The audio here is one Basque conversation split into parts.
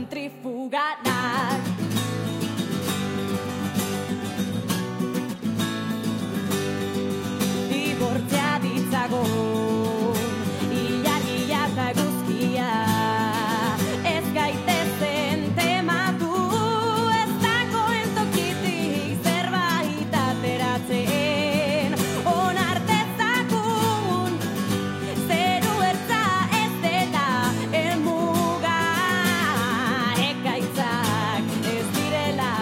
zentrifugadak. Dibortzea ditzago, ilagia eta guzkia, ez gaitezen tematu, ez dagoen tokitik zerbait ateratzen, onartezakun, zeru ertza ez dela helmuga, ekaitzak ez direla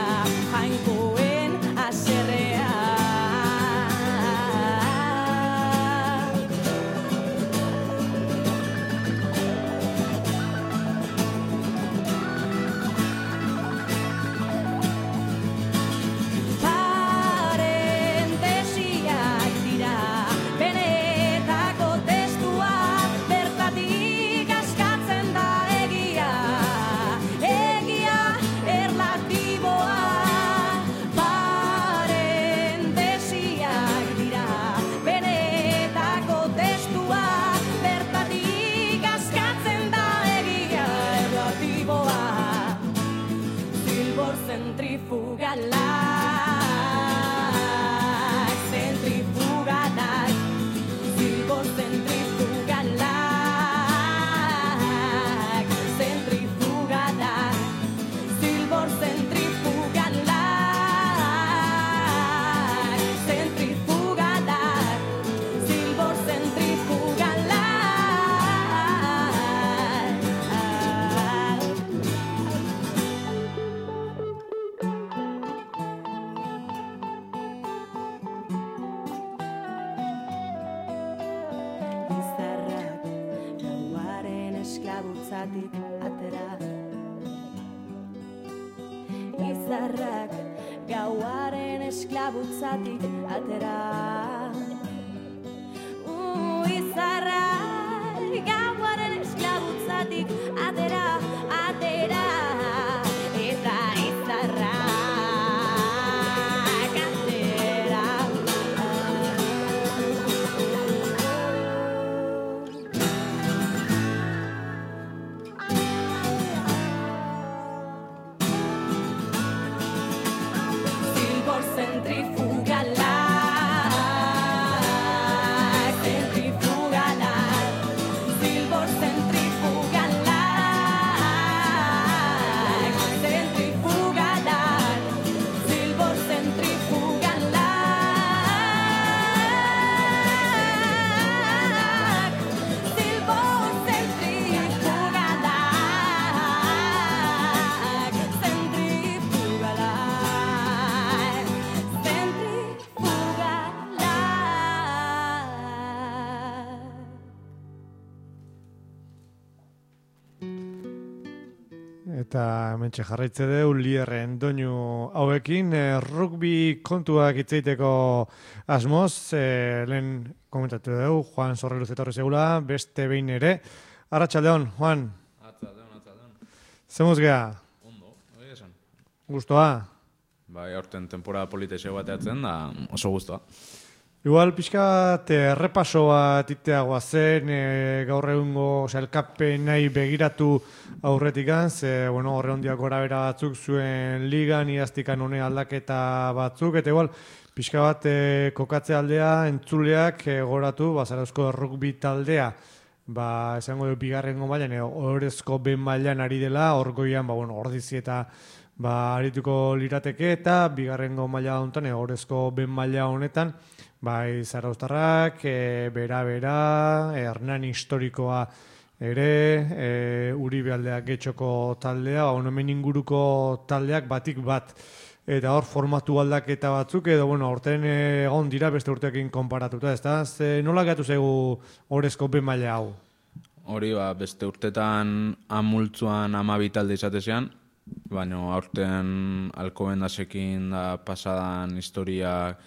jainkoen haserrea. Parentesiak dira benetako testua, bertatik askatzen da egia, egia erlatiboa. Parentesiak dira benetako testua, bertatik askatzen da egia erlatiboa. Zilbor zentrifugalak, zentrifugadak, zilbor zentrifugalak, zentrifugadak, zilbor zentrifugalak, zentrifugadak, zilbor Izarrak gauaren esklabutzatik atera. Izarrak gauaren esklabutzatik atera. Izarrak gauaren esklabutzatik atera, atera. Eta izarrak atera. Zilbor zentrifugalak, zentrifugalak, zilbor zentrifugalak, zentrifugalak, zilbor zentrifugalak, zilbor zentrifugalak, zentrifugalak, Eta hementxe jarraitze deu lierren doinu hauekin, rugby kontuak hitzeiteko asmoz, lehen komentatu dugu, Juan Sorreluz etorri segula, beste behin ere. Arratsaldeon, Juan. Atzadeon. Zemuz geha? Ondo, hori esan. Gustoa? Bai, aurten temporada politexeo bateatzen da oso guztua. Igual pixka bat errepaso bat iteagoa zen, gaur egungo elkapen nahi begiratu aurretikan, ze, bueno, horre hondiak gora bera batzuk zuen ligan, iaztikan hone aldaketa batzuk, eta igual, pixka bat kokatze aldea, entzuleak goratu, Zarauzko rugby taldea, esango du bigarrengo mailan, ohorezko ben mailan ari dela, hor goian, ordizi eta arituko lirateke, eta bigarrengo maila honetan, ohorezko ben maila honetan, bai zarauztarrak, bera, Hernani historikoa ere, Uribe aldeak getxoko taldea, hemen inguruko taldeak batik bat. Eta hor formatu aldaketa batzuk, edo, aurten egon dira beste urteekin konparatuta, ezta? Nola gatu zaigu ohorezko ben maila hau? Hori, beste urtetan amultzuan 12 talde izatezean, baina aurten Alcobendasekin da pasadan historia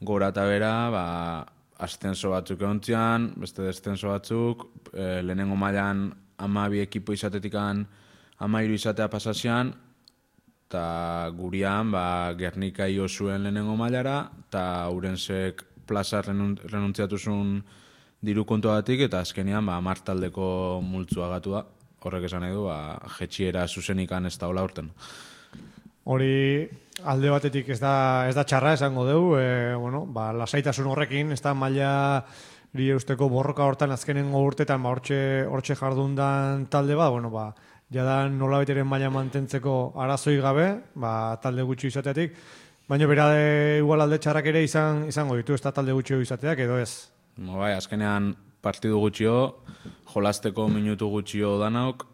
gora eta bera, ascenso batzuk egontzian, beste descenso batzuk, lehenengo mailan 12 ekipo izatetikan 13 izatea pasazian, eta gurian Gernika io zuen lehenengo mailara, eta Urensek plaza renuntziatu zuen diru kontuagatik, eta azkenean 10 taldeko multzua gatu da. horrek esan nahi du, jetxiera zuzenikan ez da hola urten. Hori alde batetik ez da txarra esango dugu, lasaitasun horrekin, ez da maila usteko borroka hortan azkenengo urtetan hortxe jardundan talde bat, jada nolabeteren maila mantentzeko arazoi gabe, talde gutxi izateatik, baina bera igual alde txarrak ere izango ditu, ez da talde gutxi izateak edo ez. Bai, azkenean partidu gutxio, jolasteko minutu gutxio danauk,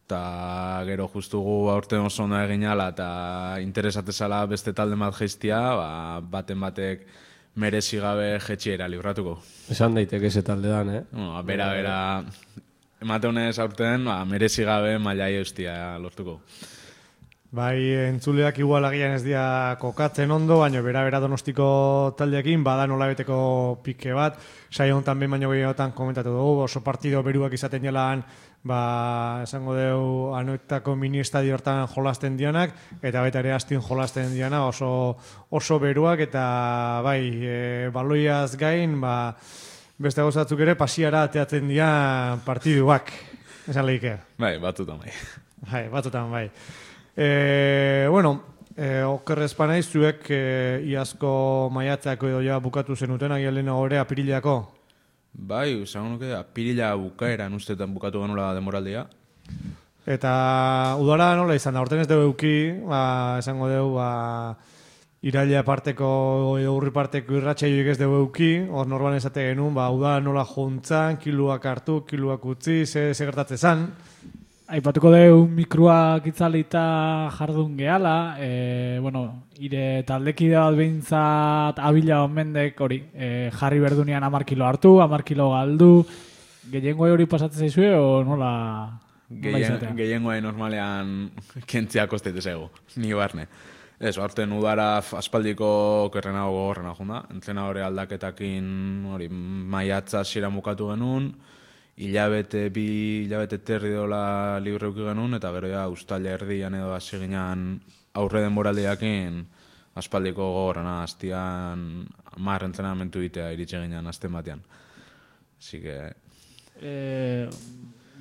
eta gero justugu aurten oso ondo egin ala eta interesatezala beste talde bat geiztia, baten batek merezi gabe jetxiera libratuko. Esan daiteke ese talde dan, Bera, emate honez aurten, merezi gabe mailai eustia lortuko. Bai, entzuleak igual agian ez dira kokatzen ondo, baina bera Donostiko taldeekin bada nolabeteko pike bat. Saio honetan behin baino gehiotan komentatu dugu, oso partido beruak izaten jalan, esango dugu anoetako mini estadio hortan jolasten dianak, eta baita ere astin jolasten diana oso beruak, eta baloiaz gain, beste gauzatzuk ere pasiara ateatzen dira partiduak, esan lehike. Bai, batzutan bai. Bai, batzutan bai. Okerrez panaiz, zuek iazko maiatzako edo ja bukatu zenuten, agian lehena gore apirileako? Bai, esango nuke, apirila bukaeran ustetan bukatu genula demoraldia. Eta udara nola izan da, horten ez dugu euki, esango dugu, iraila parteko edo urri parteko irratxaioik ez dugu euki, hor norban esate genuen, udara nola juntzan, kiluak hartu, kiluak utzi, ze gertatze zan. Aipatuko dugu mikroak itzalita jardun gehala, ire taldekide bat behintzat abila onmendek hori, jarri berdunean 10 kilo hartu, 10 kilo galdu, gehiengoa hori pasatzen zaizue, o nola izatea? Gehiengoa normalean kentzia kostete zego, ni barne. Ez, aurten udara aspaldiko kerrenago gogorrena junda, entzena hori aldaketakin hori maiatza zira mukatu genuen, bi hilabete terri dola libre uki genuen, eta gero ja ustaila erdian edo hasi ginean aurre denboraldiakin aspaldiko gogorrena, hastian 10 entrenamentu ditea iritsi ginean azten batean. Así que...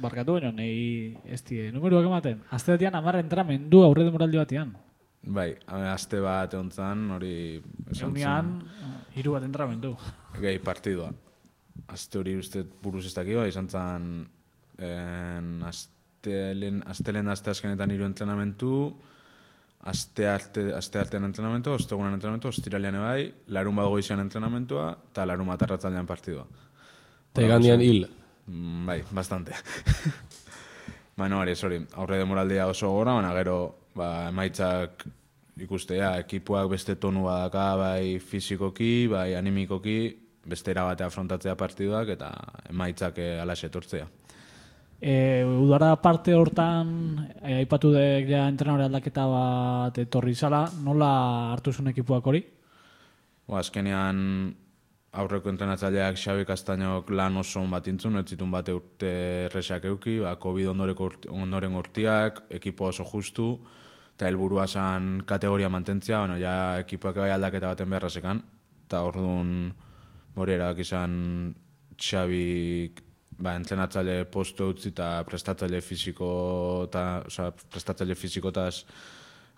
Barkatu baino, nahi ez die, numeruak ematen. Azte batean 10 entrenamendu aurre denboraldi batean. Bai, azte bat egon zan, hori... Eunean, 3 bat entrenamendu. Gehi partidua. Azte hori uste buruz ez dakiba, izan zen aztelen azte azkenetan 3 entrenamentu, azte artean entrenamentu, ostegunan entrenamentu, ostiralean ebai, larun bat goizean entrenamentua, eta larun bat arratzaldean partidua. Eta igandian hil. Bai, bastante. Hori, aurre demoraldia oso gora, baina gero emaitzak ikustea, ekipuak beste tonu badaka, bai fizikoki, bai animikoki, beste erabatea afrontatzea partiduak eta emaitzak alaxe etortzea. Udara parte hortan, aipatu dek ja entrenadore aldaketa bat etorri zala, nola hartu zuen ekipuak hori? Azkenean aurreko entrenatzaileak Xabi Castañok lan oso bat intzun, ez zitun bate urte erresak euki, COVID ondoren urtiak, ekipo oso justu, eta helburua zan kategoria mantentzia, ja ekipuak bai aldaketa baten beharra zekan, eta orduan hori erak izan Xabik entrenatzaile postu utzi eta prestatzaile fizikotaz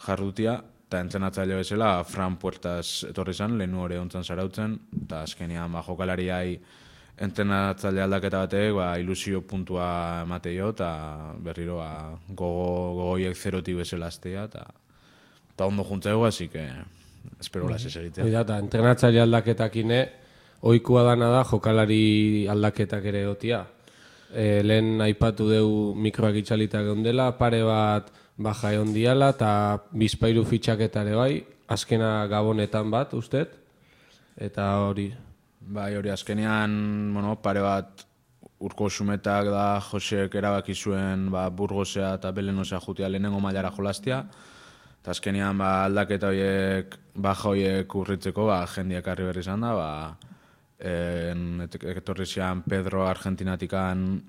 jarrutia, eta entrenatzaile bezala Fran Puertas etorri zan, lehenu hori ontzan zarautzen, eta azkenean jokalariai entrenatzaile aldaketa batek ilusio puntua emateio, eta berriro gogoiek zerotik bezala aztea, eta ondo juntzego, así que espero las esegitea. Eta entrenatzaile aldaketakine, ohikoa dana da jokalari aldaketak ere egotia. Lehen aipatu deu mikroak itxalita geundela, pare bat baja egon diala, eta bizpairu fitxaketare bai, azkena gabonetan bat, usted? Eta hori... Bai, hori azkenean, pare bat urko sumetak da Josek erabaki zuen Burgosea eta Belenosea jutia lehenengo mailara jolastia, eta azkenean aldaketa horiek, baja horiek urritzeko, jendiak harri berri izan da, etorri zian Pedro Argentinatikan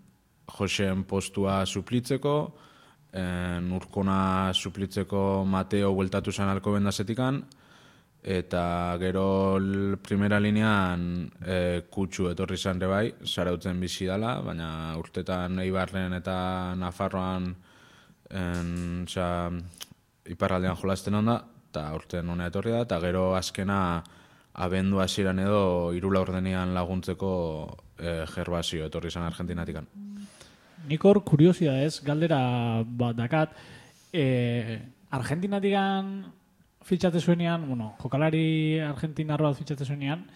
Joseen postua suplitzeko, Urkona suplitzeko Mateo bueltatu zen Alcobendasetikan, eta gero primera linean kutsu etorri izan ere bai, Zarautzen bizi dela, baina urtetan Eibarren eta Nafarroan iparraldean jolasten onda, eta urtean honea etorri da, eta gero azkena abendu hasieran edo 3 laurdenean laguntzeko Gervasio etorri izan Argentinatikan. Nik hor kuriosidadez, galdera bat dakat, Argentinatikan fitxate zuenean, jokalari argentinarro bat fitxate zuenean,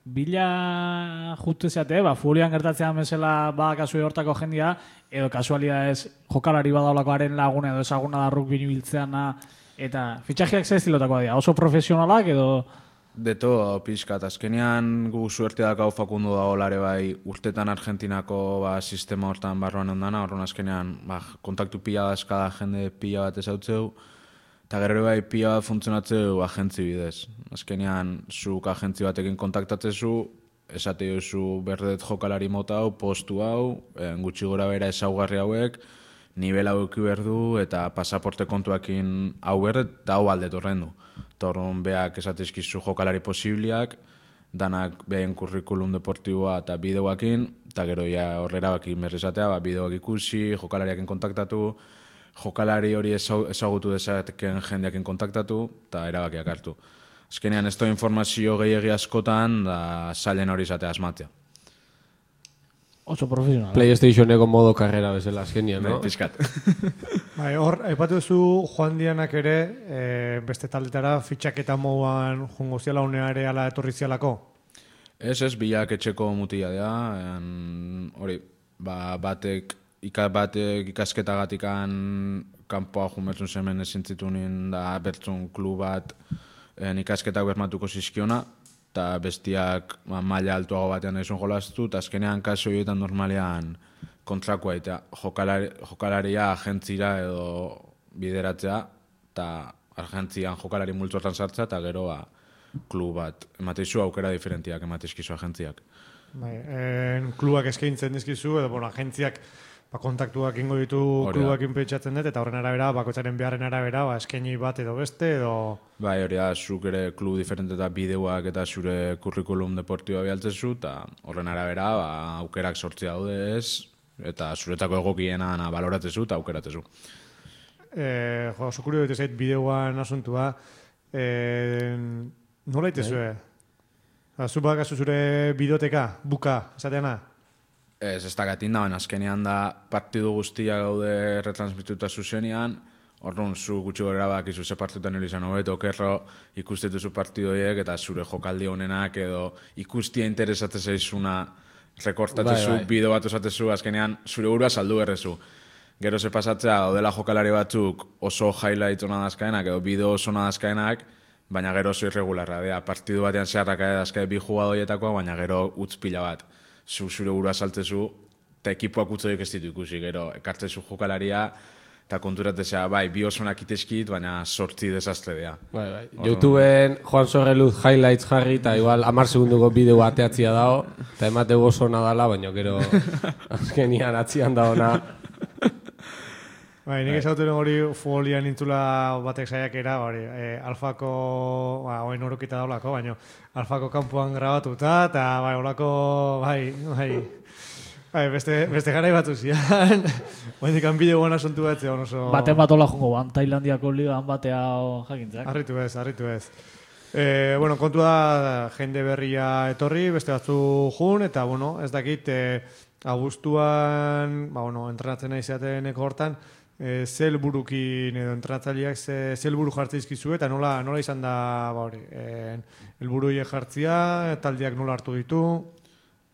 bila justu zeate, futbolian gertatzean bezala kasu hortako jendia, edo kasualidadez jokalari badaulakoaren lagun edo ezaguna da rugby biltzeana, eta fitxajeak ze estilotakoa dira, oso profesionalak edo... Deto, pixkat, azkenean gu suerte dakau Facundo dagoelare bai urtetan Argentinako sistema hortan barruan ondana, horren azkenean kontaktu pila dazkada jende pila bat ezautzeu, eta gero bai pila bat funtzionatzeu agentzi bidez. Azkenean, zuk agentzi batekin kontaktatzezu, esate duzu berdet jokalari mota hau, postu hau, gutxi gora bera ezaugarri hauek, nivel hau eki berdu eta pasaporte kontuakin hau berdet, eta hau aldet horren du. Torron beak esatezkizu jokalari posibliak, danak behen kurrikulum deportiboa eta bideoakin, eta gero ja horrera bakin berrizatea, bideoak ikusi, jokalariakin kontaktatu, jokalari hori ezagutu dezateken jendeakin kontaktatu, eta erabakiak hartu. Azkenean ez da informazio gehiagi askotan, da zailen hori izatea asmatzea. Oso profesional. PlayStationeko modo karrera bezala azkenean, no? Piskat. Hor, aipatu duzu Juan Dianak ere, beste taldetara fitxaketa moduan jongo ziala uneare ala etorri zialako? Ez, bilak etxeko mutila dira, hori, batek ikasketagatikan kanpoa jumertzun zemen ezintzitunin da bertzun klub bat ikasketak bermatuko zizkiona, eta bestiak maila altuago batean nahi zuen jolaztu, eta azkenean kaso horietan normalean kontrakoa eta jokalaria agentzira edo bideratzea, eta agentzian jokalari multzotan sartza, eta gero klub bat. Emateizu aukera diferentiak emateizkizu agentziak. Klubak eskaintzen dizkizu, edo agentziak kontaktuak ingo ditu klubakin pentsatzen dut, eta horren arabera, bakoitzaren beharren arabera, eskaini bat edo beste, edo... Bai, hori da, zuk ere klub diferente eta bideoak eta zure kurrikulum deportiboa bialtzezu, eta horren arabera, aukerak sortzi daude ez, eta zuretako egokiena baloratzezu eta aukeratzezu. Oso kurio dut zait bideoan asuntua, nola itezue? Zu bakazu zure bidoteka, buka, esateana? Ez dakatin da, baina azkenean da partidu guztia gaude retransmituta zuzenean, orduan zu gutxi gorera bakizu ze partidutan hori izan hobeto, okerro ikustetuzu partidoiek eta zure jokaldi honenak edo ikustia interesatzen zaizuna rekortatzezu, bideo bat osatezu, azkenean zure burua saldu berrezu. Gero ze pasatzea, daudela jokalari batzuk oso highlight ona dazkaenak edo bideo oso ona dazkaenak, baina gero oso irregularra, partidu batean zeharraka dazkae bi jugadoietakoa, baina gero utz pila bat. Zure burua saltzezu, eta ekipoak utzoiek ez ditu ikusi, gero ekartzezu jokalaria, eta konturatzea, bi osonak iteskit, baina sortzi desastre dea. YouTubeen Juan Sorreluz highlights jarri, eta igual 10 segunduko bideo ateatzia dago, eta emateu oso nadala, baina gero azkenian atzian daona. Nik ezagutzen hori futbolian nintzula batek saiakera, Alfako, oen orokita daulako, baina Alfako kanpoan grabatuta, eta olako, beste garai batzu zian. Baina bideoan asuntu bat zeon oso... Baten bat hola jongo ban, Tailandiako ligan batea jakintzak. Arritu ez. Kontua da, jende berria etorri, beste batzu jun, eta ez dakit, abuztuan, entrenatzen nahi zeateneko hortan, ze helburukin edo entrenatzaileak ze helburu jartze dizkizu eta nola izan da helburu horiek jartzea, taldeak nola hartu ditu?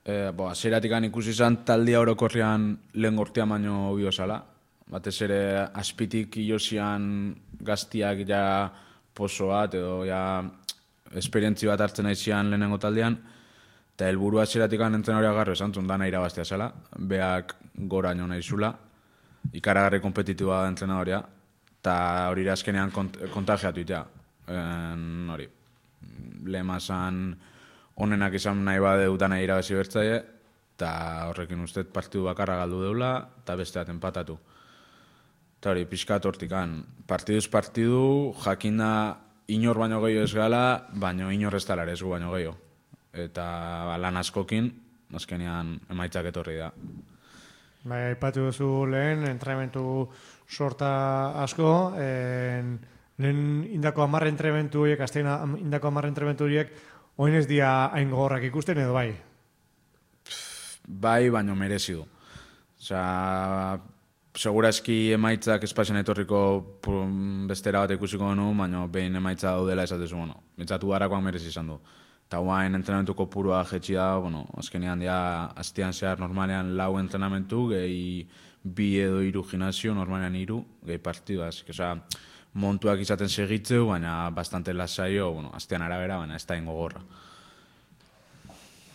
Hasieratik ikusi izan taldea orokorrean lehen gortea baino biozala. Batez ere azpitik ilosian gaztiak ja poso bat edo ja esperientzi bat hartzen aizian lehenengo taldean, eta helburu hasieratik entrenadorea garro esan zuen dana irabaztea zela, beak goraino nahi zula, ikaragarri kompetitiboa da entrenadorea, eta hori azkenean kontagiatu itea. Lemazan onenak izan nahi badeu dana irabazi bertzaile, eta horrekin uste partidu bakarra galdu deula, eta beste bat empatatu. Eta hori, pixkat hortikan, partiduz partidu, jakinda inor baino gehiago ez gala, baino inor ez dela ere ez gu baino gehiago. Eta lan askokin, azkenean emaitzak etorri da. Bai, aipatu duzu lehen, entrenamentu sorta asko, lehen indako 10 entrenamentu horiek, aztean indako 10 entrenamentu horiek, oin ez dia hain gogorrak ikusten edo bai? Bai, baino merezi du. Osea, segurazki emaitzak espazioan etorriko bestera bat ikusiko genu, baina behin emaitza daudela esatezu, mitzatu harakoak merezi izan du. Eta guain entrenamentuko purua jetxi da, azkenean dia astean zehar normalean 4 entrenamentu, gehi 2 edo 3 gimnasio, normalean 3, gehi partidua. Osea, montuak izaten segitzeu, baina bastante lasaio, astean arabera, baina ez da ingo gorra.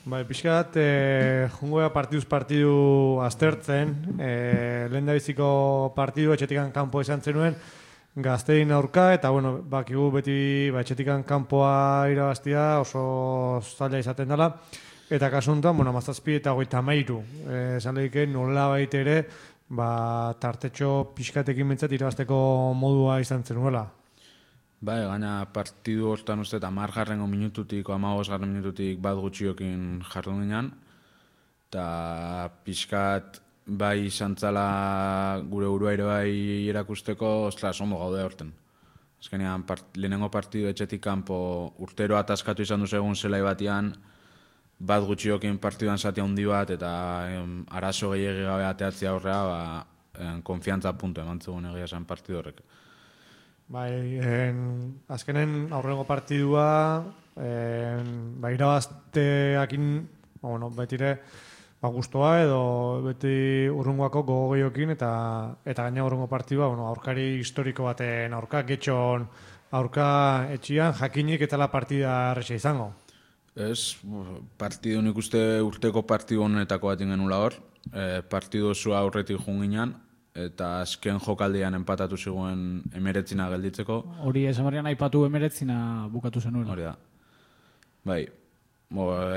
Bai, pixkat, jungoa partiduz partidu aztertzen, lehen da biziko partidu etxetikan kanpo izan zenuen, Gaztein aurka, eta bakigu beti etxetikan kanpoa irabaztia oso zaila izaten dela, eta kasu honetan, 17 eta 33, esan lehiken nola baita ere, tartetxo pixkatekin bintzat irabazteko modua izan zenuela. Bai, gaina partidu hortan uste eta 10. minututik, 15. minututik bat gutxiokin jardun ginen, eta pixkat bai izan zala gure burua ere bai erakusteko, ostras, ondo gaude horten. Azkenean, lehenengo partidu etxetik kanpo urtero ataskatu izan duzu egun zelai batian, bat gutxiokin partiduan zati handi bat, eta arazo gehiagi gabe ateatzea horrea, konfiantza puntu eman zegoen egia zen partidu horrek. Bai, azkenen aurrengo partidua, irabazteakin, betire, guztua edo beti urrungoako gogo gehiokin eta gaina urrungo partidua, aurkari historiko baten aurka, getxon aurka etxian, jakinik eta la partida erresa izango. Ez, partidu nik uste urteko partidu honetako bat ingenula hor, partidu osua aurretik junginan, eta azken jokaldean empatatu zigoen 19 gelditzeko. Hori esamarian aipatu 19 bukatu zenuen. Hori da. Bai,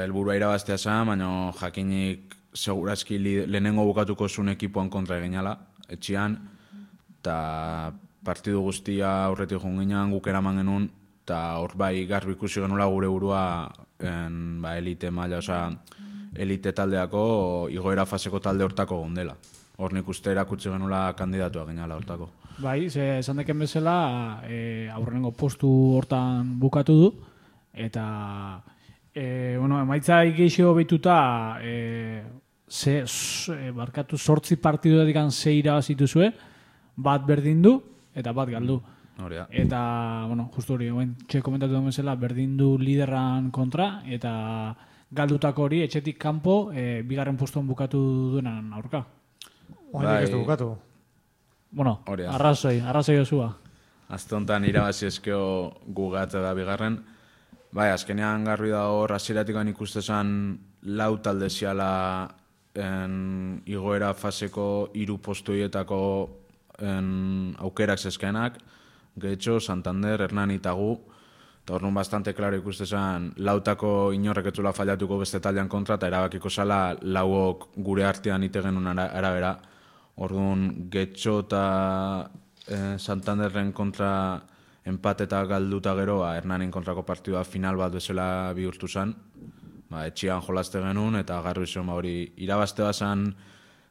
helburua irabaztea zen, baina jakinik segurazki lehenengo bukatuko zuen ekipoan kontra eginala, etxian, eta partidu guztia aurretik junginan guk eraman genuen, eta hor bai garbi ikusi genula gure burua elite maila, elite taldeako, igoera faseko talde hortako gondela. Hor nik uste erakutsi genula kandidatua ginala hortako. Bai, esan deken bezala, aurrenengo postu hortan bukatu du, eta emaitza igeixo behituta, barkatu 8 partidu dedikan 6 irabazitu zue, bat berdin du, eta bat galdu. Eta, justu hori, txe komentatu duen bezala, berdin du liderran kontra, eta galdutako hori etxetik kanpo, bigarren postuan bukatu duenan aurka. Oainik ez du bukatu. Arrazoi osua. Azte honetan irabazi ezkeo gugatzea da bigarren. Bai, azkenean garbi da hor, hasieratik ikuste zen 4 talde ziala igoera faseko 3 postu hietako aukerak zezkenak, Getxo, Santander, Hernani eta gu, eta hor nun bastante klaro ikuste zen 4tako inorrek etzula fallatuko beste taldean kontra, eta erabakiko zala 4ok gure artean ite genuen arabera. Orduan, Getxo eta Santanderren kontra empate eta galduta gero, Hernanin kontrako partidua final bat bezala bihurtu zen. Etxian jolazte genuen, eta garbi zen hori irabazte bazan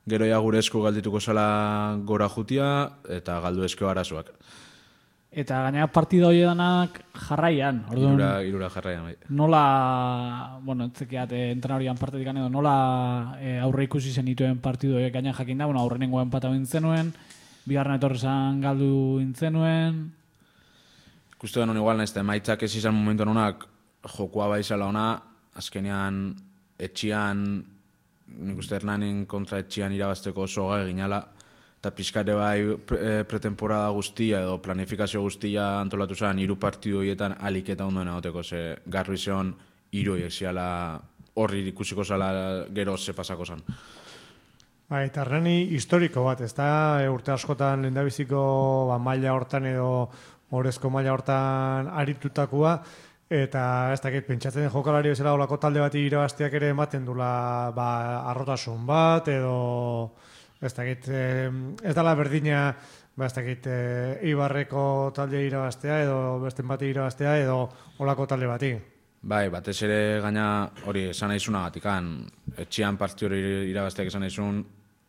gero ja gure esku galdituko zela gora jutia, eta galdu eskeo arazoak. Eta gainera partida hori danak jarraian. Irura jarraian, bai. Nola, etzekiat entrenarian partetik edo, nola aurre ikusi zen dituen partidu horiek gaina jakin da, aurrenengo empata bintzenuen, bigarren etorrezan galdu intzenuen. Ikustu genuen igual nahiz, emaitzak ez izan momentu honak jokua baizala ona, azkenean etxian, nik uste Hernanin kontra etxian irabazteko oso gai ginala, eta pixkare bai pretemporada guztia edo planifikazio guztia antolatu zen 3 partidu horietan alik eta ondoen egoteko, ze garbi zeon 3 horiek ziala horri ikusiko zala gero ze pasako zen. Eta Hernani historiko bat, ez da urte askotan lehendabiziko maila hortan edo orezko maila hortan aritutakoa, eta ez dakit pentsatzen jokalari bezala olako talde bati irabazteak ere ematen dula arrotasun bat edo ez dakit ez dala berdina ba, ez dakit, Ibarreko talde irabaztea edo beste bati irabaztea edo olako talde bati. Bai, batez ere gaina hori esan naizunagatikan, etxian partidu hori irabazteak esan naizun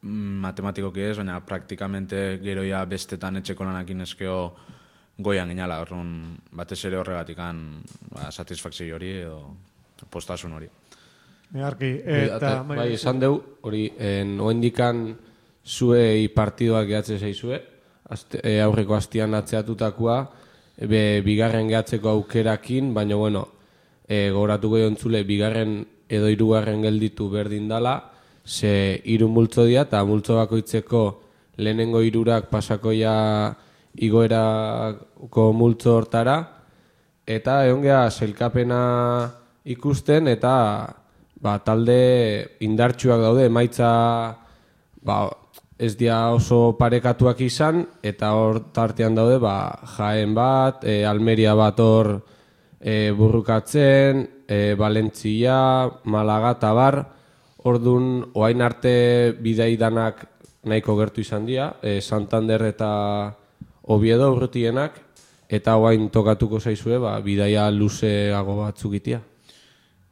matematikoki ez, baina praktikamente geroia bestetan etxeko lanakin eskeo goian ginala, orduan batez ere horregatikan satisfakzio hori edo postasun hori. Arki, eta bai, esan deu, hori, oendikan zuei partidoak gehatze zaizue, aurreko astian atzeatutakoa, bigarren gehatzeko aukerakin, baina bueno, gogoratuko jontzule, bigarren edo hirugarren gelditu berdin dala, ze 3 multzo dira, eta multzo bakoitzeko lehenengo 3 pasakoia igoerako multzo hortara, eta egon geha sailkapena ikusten, eta talde indartsuak daude, emaitza ez dira oso parekatuak izan, eta hor tartean daude Jaén bat, Almeria bat hor burrukatzen, Valentzia, Malaga eta bar, orduan oain arte bidei danak nahiko gertu izan dira, Santander eta Oviedo urrutienak, eta oain tokatuko zaizue bidaia luzeago batzuk itia.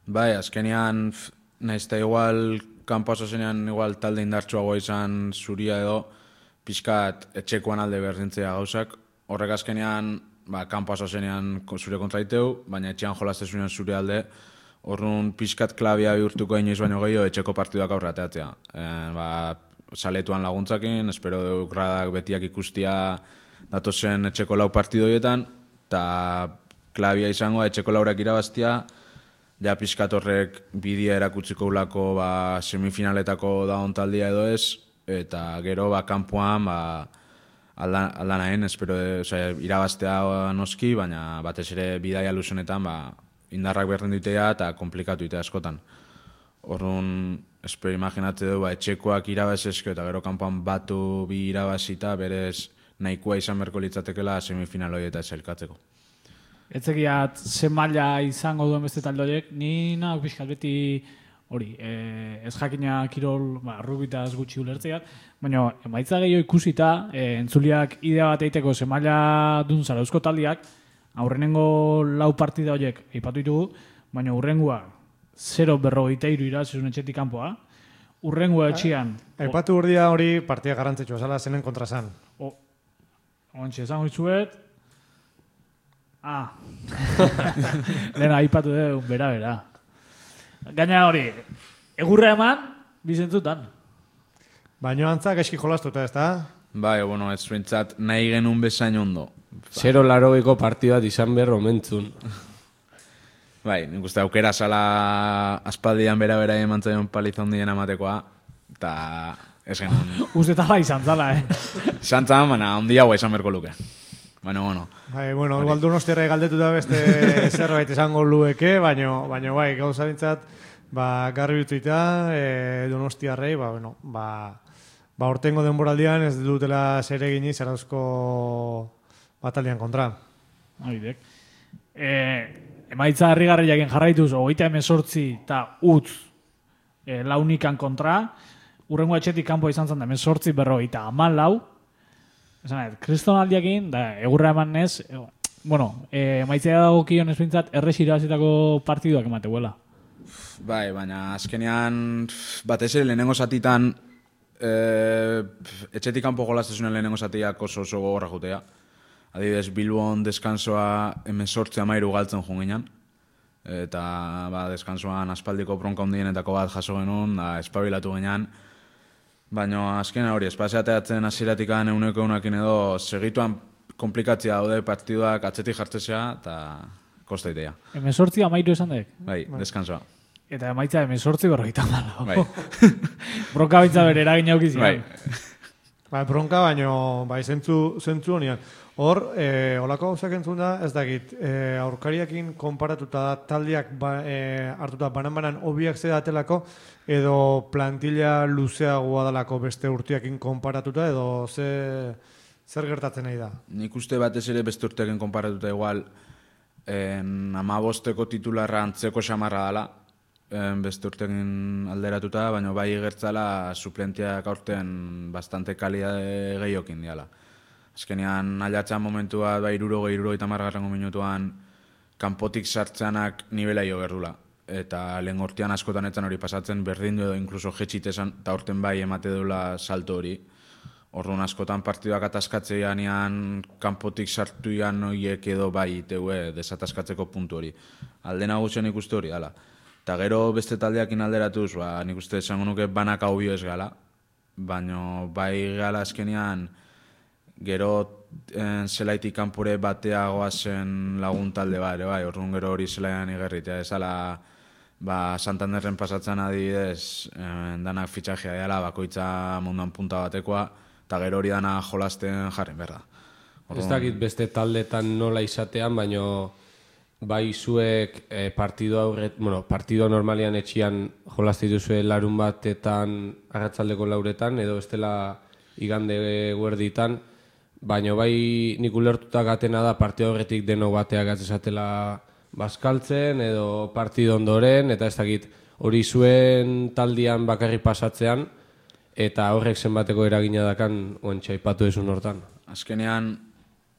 Bai, azkenean, naizta igual, kanpo asozenean igual talde indartsuagoa izan zuria edo, pixkat etxekoan alde berdintzea gauzak. Horrek azkenean, kanpo asozenean zure kontraiteu, baina etxean jolaztezunean zure alde, horrun pixkat klabia bihurtuko inoiz baino gehiago etxeko partiduak aurre ateatzea. Saletuan laguntzakin, espero duk gradak betiak ikustia datozen etxeko 4 partidoietan, eta klabia izango etxeko 4ak irabaztia, ja pixkat horrek bidea erakutziko ulako semifinaletako daun taldia edo ez, eta gero kanpoan aldanaen, espero irabaztea noski, baina batez ere bidaia luzenetan indarrak berdin ditea eta komplikatu ditea askotan. Orduan, espero imaginatze du, etxekoak irabazezko eta gero kanpoan batu bi irabazita, berez nahikoa izan berko litzatekela semifinal hori eta zelkatzeko. Etzekiat ze maila izango duen beste talde horiek, ni nahi pixkat beti hori, ez jakina kirol, rugitaz gutxi ulertzeat, baina emaitza gehiago ikusita, entzuliak idea bat eiteko ze maila dun zarauzko taldiak, aurrenengo 4 partida horiek eipatu ditugu, baina urrengua 0-43 irazizun etxetik kanpoa, urrengua etxian... Aipatu urdia hori partia garrantzitsua zala zenen kontrazan. Ontxe, esango itzuet, lehena aipatu dugu, bera. Gaina hori, egurra eman, bizentzutan. Baina antzak eski jolastuta, ez da? Bai, bueno, ez zuentzat nahi genuen bezain ondo. 0-80ko partidu bat izan behar omentzun. Bai, nik uste aukera zala aspaldian bera eman zaion paliza hondien amatekoa, eta ez genuen. Uste tala izan zala, Izan zan, baina hondia hau izan berko luke. Bueno. Bai, igual Donostiarra galdetu da beste zerbait esango lueke, baina bai, gauza bintzat, garri bituita, Donostiarrei, hortengo denboraldian ez dutela zer egini zarauzko bataldean kontra. Haidek. Emaitza harrigarriaken jarraituz, 38 eta utz launikan kontra, urrengo etxetik kanpo izan zen da 18-44, kristonaldiakin, da egurra eman nez, emaitzea dago kion espintzat errez irabazitako partiduak emateguela. Bai, baina azkenean batez ere lehenengo zatitan etxetik kanpo jolaztezunen lehenengo zatiak oso gogorra jutea. Adibidez, Bilbon deskansoa 18-13 galtzen junginan. Eta deskansoan aspaldiko bronka hundienetako bat jaso genuen, espabilatu ginean. Baina azkena hori, espaziateatzen hasieratik euneko-eunakin edo segituan komplikatzia daude partiduak atzetik jartzea eta kostaitea. 18-13 esan dek? Bai, deskansoa. Eta emaitza 18-40. Bai. Bronka baitza bere eragin aukizian. Bai, bronka baino, zentzu honian. Hor, olako gauzak entzun da, ez dakit, aurkariakin konparatuta taldeak hartuta banan hobiak zedatelako, edo plantilla luzeagoa dalako beste urteakin konparatuta, edo zer gertatzen nahi da? Nik uste batez ere beste urteakin konparatuta igual, 15 titularra antzeko xamarra dala, beste urteakin alderatuta, baina bai gertzala suplentiak aurten bastante kalidade gehiokin diala. Azkenean aldatzen momentu bat, bai 60-70 minutuan kanpotik sartzeanak nivela jo berdula. Eta lehen hortian askotan etzan hori pasatzen, berdin edo inkluso jetxitesan, eta horten bai emate dula salto hori. Orduan askotan partiduak ataskatzeanean kanpotik sartuian horiek edo bai teue desataskatzeko puntu hori. Alde nagusian ikuste hori, ala. Eta gero beste taldeakin alderatuz, nik uste esango nuke banak hau bio ez gala. Baina bai gala azkenean gero zelaitik kanpore bateagoa zen lagun talde bat, bai, orduan gero hori zelaian igerritea, ez ala Santanderren pasatzen adibidez, danak fitxajea dela, bakoitza munduan punta batekoa, eta gero hori dana jolasten jarren berda. Ez dakit beste taldetan nola izatean, baino bai zuek partido normalian etxian jolazte dituzue larun batetan arratsaldeko lauretan, edo bestela igande guerditan, baina bai nik ulertuta gatena da partido horretik deno bateak atzesatela bazkaltzen edo partido ondoren, eta ez dakit hori zuen taldian bakarrik pasatzean, eta horrek zenbateko eragina dakan oentxe aipatu ezun hortan. Azkenean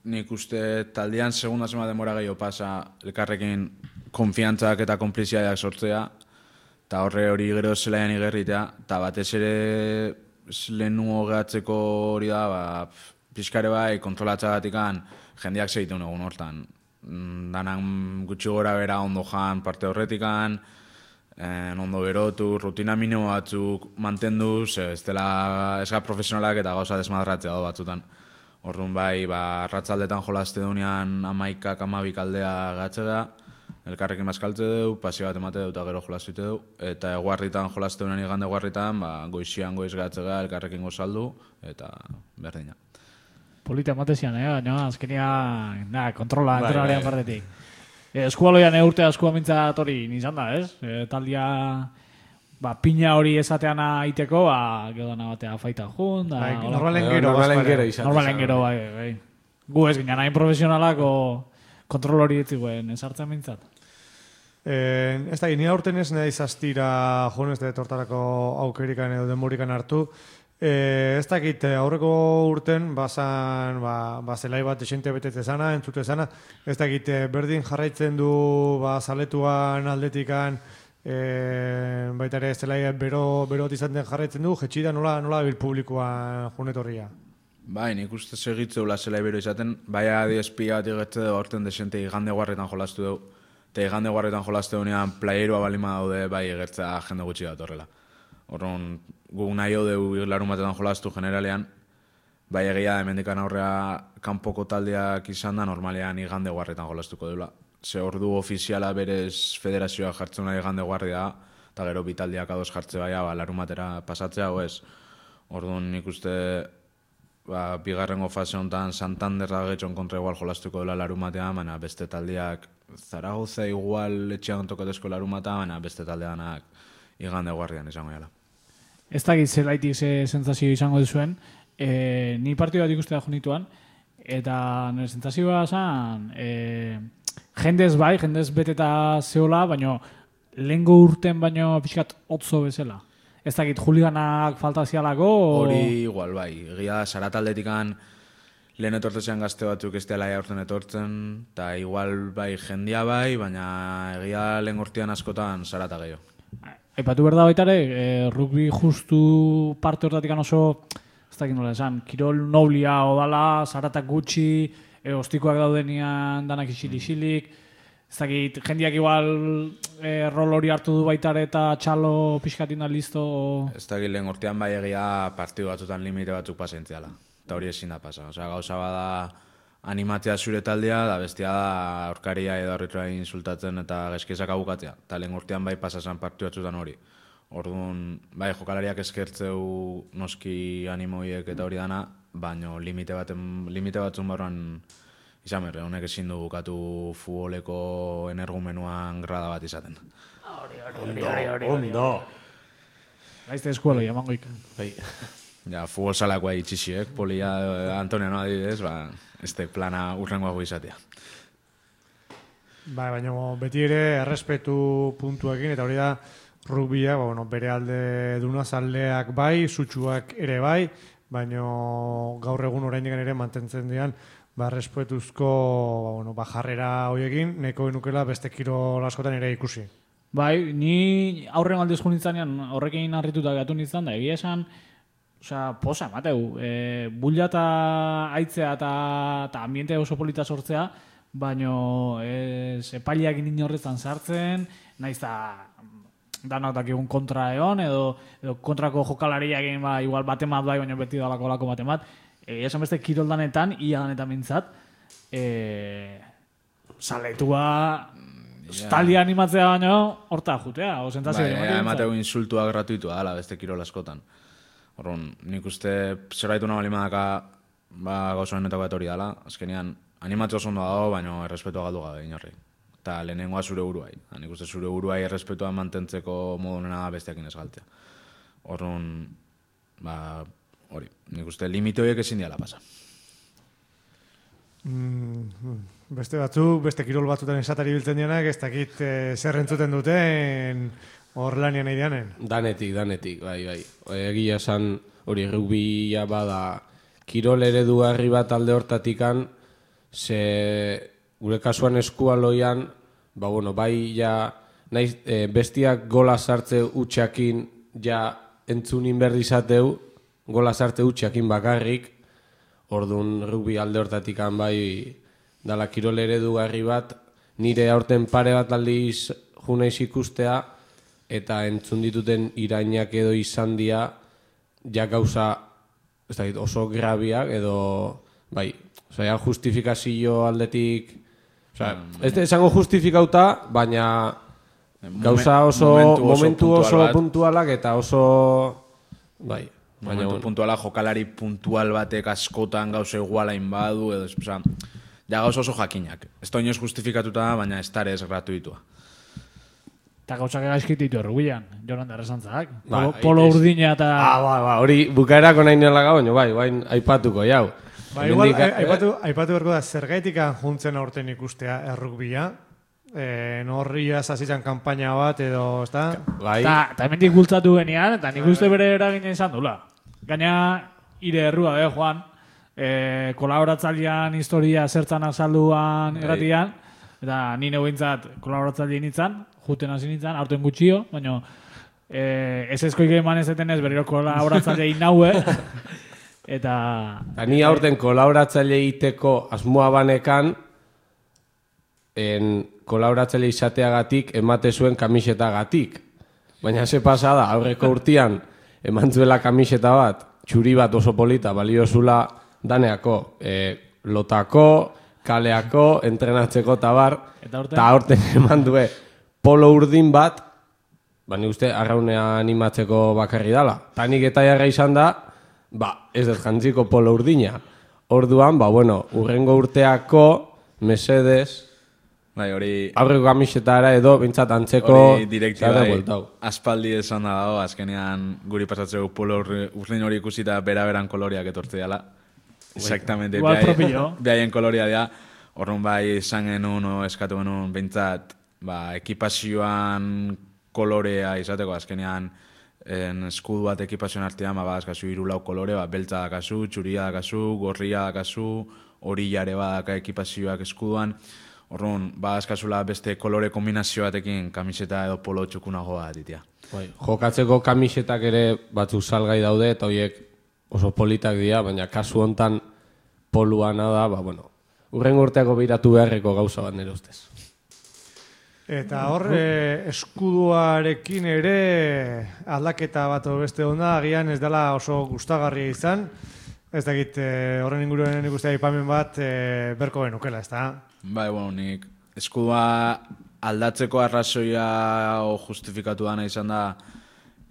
nik uste taldean segunda zema demora gehiago pasa elkarrekin konfiantzak eta konpliziadak sortzea, eta horre hori gero zelaian igerritea, eta batez ere lehenuo gehatzeko hori da, pixkare bai, kontrolatzagatikan jendeak segiten egun hortan. Danan gutxi gora bera ondo jan parte horretikan, ondo berotu, rutina minimo batzuk mantenduz, ez ga profesionalak eta gauza desmadratzea do batzutan. Orduan bai, arratzaldetan jolazte dunean 11-12 aldea gatzera, elkarrekin bazkaltze du, pasio bat emate du eta gero jolazte du, eta eguarritan jolazte dunean igande eguarritan, goizian goiz gatzera, elkarrekin gozaldu, eta berdina. Polita ematezian, baina azkenean kontrola entrenalean partetik. Eskualoian urte askua mintzat hori nizan da, ez? Taldia pina hori esatean aiteko, gero dana batea faita jun. Normalen gero, bai. Gu ez ginen hain profesionalak kontrol hori ditziguen esartzen mintzat. Ez da, ni aurten ez nahi zaztira joan ez da tortarako aukerikan edo denborikan hartu. Ez dakit, aurreko urten bazan, zelai bat esente betete zana, entzute zana, ez dakit, berdin jarraitzen du zaletuan aldetikan, baita ere zelai berot izan den jarraitzen du, jetxida nola bil publikoa junetorria? Bai, nik uste segitzeula zelai bero izaten, bai adi espia bat igetze dugu aurten desente igande guarretan jolastu dugu, eta igande guarretan jolastu dugunean playeroa balima daude bai egertzea jende gutxi bat horrela. Horren, guk nahi hodeu larun batetan jolastu generalean, bai egia hemendikan aurrea kanpoko taldeak izan da, normalean igande guarretan jolastuko dela. Ze ordu ofiziala berez federazioa jartzen nahi igande guarri da, eta gero bitaldiak ados jartze baia, larun batera pasatzea, ez. Orduan nik uste, bigarrengo fase honetan Santanderra getxon kontra igual jolastuko dela larun batean, baina beste taldeak Zaragoza igual etxean tokatezko larun batean, baina beste taldeanak igande guardian izango jala. Ez dakit zelaitik sentsazio izango duzuen, ni partidu bat ikustea jonituan, eta nire sentsazioa zan, jendez beteta zehola, baina lehengo urten baino pixkat otzo bezala. Ez dakit, juliganak falta zialako? Hori igual, bai. Egia Sarataldetikan lehen etortzean gazte batzuk ez dela aurten etortzen, eta igual bai jendia bai, baina egia lehen urtean askotan Sarata gehiago. Aipatu behar da baita ere, rugby justu parte hortatik oso, ez dakit nola esan, kirol noblia odala, Saratak gutxi, ostikoak daudenian danak isilik, ez dakit, jendiak igual rol hori hartu du baita ere eta txalo pixkatin da listo. Ez dakit lehen urtean bai egia partidu batzutan limite batzuk pasentziala, eta hori ezin da pasa. Osea, gauza bada animatzea zure taldea, da bestia da aurkaria edo arbitroa insultatzen eta gezkezak abukatzea. Eta lehen urtean bai pasasan partidu batzutan hori. Orduan, bai jokalariak eskertzeu noski animoiek eta hori dana, baina limite batzun barruan izan berre, honek ezin du bukatu futboleko energumenuan grada bat izaten. Ondo. Gaizte eskualoia, mangoik. Bai. Ja, futbol salakoa itxixiek, Polia Antoniano adibidez, este plana urrengoago izatea. Baina beti ere errespetu puntuekin, eta hori da rugbia, bere alde duna zaldeak bai, sutsuak ere bai, baino gaur egun oraindik ere mantentzen dian respetuzko jarrera hoiekin nahiko genukela beste kirol askotan ere ikusi. Bai, ni aurren aldiz nintzanian horrekin harrituta gatu nintzen, da egia esan, posa emateu, bulla eta aitzea eta ambiente oso polita sortzea, baino epailiak inin horretan sartzen, naiz da danak dakigun kontra egon, edo kontrako jokalariak egin igual batemat bai, baina beti dalako lako batemat. Esan beste kiroldanetan, ia danetan mintzat, saletua taldia animatzea baino, horta jutea, o sentazio emateu insultua gratuitua dala beste kirol askotan. Horron, nik uste zerbaitu nahi balimadaka gauza honetako bat hori dala, azkenean animatzea oso ondo dago, baina errespetua galdu gabe inorri. Eta lehenengoa zure buruai. Nik uste zure buruai errespetua mantentzeko modunena besteakin ez galtzea. Horron, hori, nik uste limite horiek ezin diala pasa. Beste batzuk, beste kirol batzutan esatari biltzen dianak, ez dakit zer entzuten duten hor lanian nahi dianen. Danetik, bai. Egia esan hori rugbia bada kirol eredugarri bat alde hortatikan, ze gure kasuan eskualoian, bai ja naiz bestiak gola sartze utxakin ja entzunin berri izateu, gola sartze utxakin bakarrik, orduan rugby alde hortatikan bai dala kirol eredugarri bat, nire aurten pare bat aldiz junaiz ikustea, eta entzun dituten irainak edo izan dia, ja gauza oso grabiak edo, bai, justifikazio aldetik, ez esango justifikauta, baina gauza oso momentu oso puntualak eta oso, bai, momentu puntuala, jokalari puntual batek askotan gauza igualain badu, edo, ja gauza oso jakinak. Ez da inoz justifikatuta, baina ez tarez gratuitua. Eta gauzak egaizkit ditu errubian, joran derrezantzak. Polo urdina eta... Hori bukaerako nahi nela gau, bai, aipatuko, jau. Igual, aipatu berko da, zergaitikan juntzen aurten ikustea errukbia, norria zazitzen kanpaina bat edo, ez da? Eta hemendik bultzatu genian, eta nik uste bere eragina izan dula. Gaina, ire errua, Juan, kolaboratzailean historia zertzan azalduan erratian, eta nire bintzat kolaboratzaile nintzen, juten hasi nintzen, aurten gutxio, baina ez ezkoik eman ez etenez berriro kolaboratzaile inaue, eta... Ni aurten kolaboratzaile iteko asmoa banekan, kolaboratzaile izateagatik emate zuen kamisetagatik. Baina ze pasada, aurreko urtean eman zuela kamiseta bat, txuri bat oso polita, baliozula daneako, lotako, kaleako, entrenatzeko tabar, eta aurten eman due polo urdin bat, ni uste arraunea animatzeko bakarri dala. Tanik eta jarra izan da, ez dut jantziko polo urdina. Orduan, urrengo urteako, mesedez, aurreko kamisetara edo, bintzat antzeko, aspaldi esan da dago, azkenean guri pasatzeko polo urdin hori ikusita bera-beran koloriak etortze dela. Exactamente, behaien koloria dira. Horren bai izan genuen, eskatu genuen, bintzat, ekipazioan kolorea izateko, azkenean eskudu bat ekipazioan artean, azkazu irulau kolore, beltza dakazu, txuria dakazu, gorria dakazu, orillare badaka ekipazioak eskuduan, horren, azkazula beste kolore kombinazio batekin kamiseta edo polo txukunago bat ditia. Jokatzeko kamisetak ere batzuk salgai daude, eta horiek oso politak dira, baina kasu hontan poluana da, urrengo urteako biratu beharreko gauza bat nire ustez. Eta hor, eskuduarekin ere aldaketa bat beste onda, agian ez dela oso gustagarria izan. Ez dakit, horren inguruan ikustea aipamen bat berko genukela, ez da? Nik eskudua aldatzeko arrazoia justifikatu dana izan da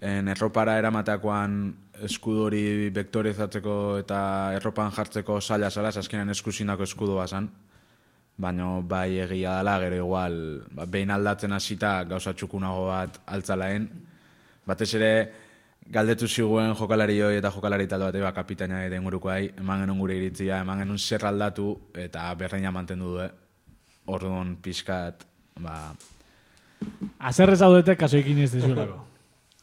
erropara eramateakoan eskudu hori vektorizatzeko eta erropan jartzeko zaila zala, azkenean eskuzindako eskudua zan. Baina bai egia dela, gero igual, behin aldatzen hasita gauza txukunago bat altzalaen. Batez ere, galdetu ziguen jokalari hoi eta jokalari talde bat, kapitaina eta ingurukoai, eman genuen gure iritzia, eman genuen zer aldatu eta berreina mantendu du, Orduan pixkat, Azerrez haudete kasoikin ez dezuelako.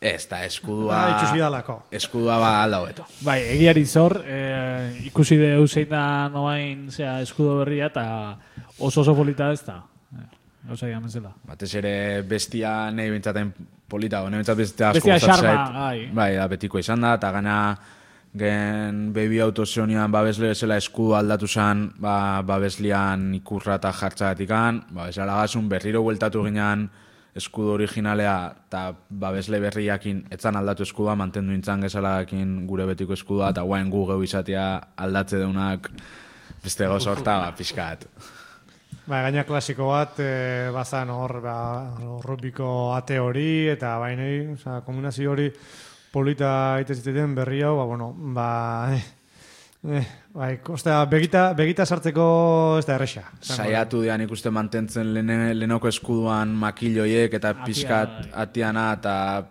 Ez, eta eskudua... Itxusi dalako. Eskudua ba alda hobeto. Bai, egiari zor, ikusi deu zein da noain eskudo berria, eta oso polita ez da. Gauza digan bezala. Batez ere bestia nahi bintzaten polita, nahi bintzat bestia asko Bestia gustatzen xarma, zait. bai. Bai, da betiko izan da, eta gana gen baby autozionian babesle bezala eskudu aldatu zen, babeslian ikurra eta jartzagatikan, bezala gazun berriro bueltatu ginean eskudu originalea eta babesle berriakin etzan aldatu eskudua, mantendu intzan gezalakin gure betiko eskudua, eta guain gu geu izatea aldatze deunak beste gauza horta, pixkat. Gaina klasiko bat, bazan hor, rugbyko ate hori, eta bainei, kombinazio hori polita iteziteten berri hau, begita sartzeko ez da erresa. Saiatu dian ikuste mantentzen lehenoko eskuduan makilloiek eta pixkat atiana eta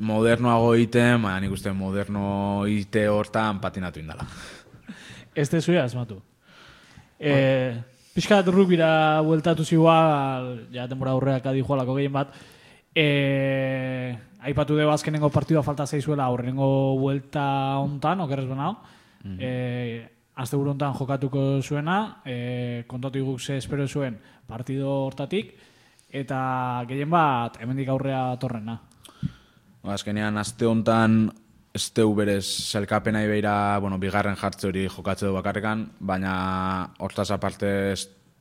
modernoago iten, nik uste moderno ite hortan patinatu indala. Ez tezuia asmatu. Piskat rugbira bueltatu zigual, ja denbora aurreak adijoalako gehien bat, aipatu dugu azkenengo partidua falta zeizuela aurrenengo buelta hontan, okerrez benau, azte buru hontan jokatuko zuena, kontatu guk ze espero zuen partido hortatik, eta gehien bat hemendik aurrea torrena. Azkenean azte hontan ez teu berez zelkapena ibeira, bigarren jartze hori jokatze du bakarrekan, baina hortaz aparte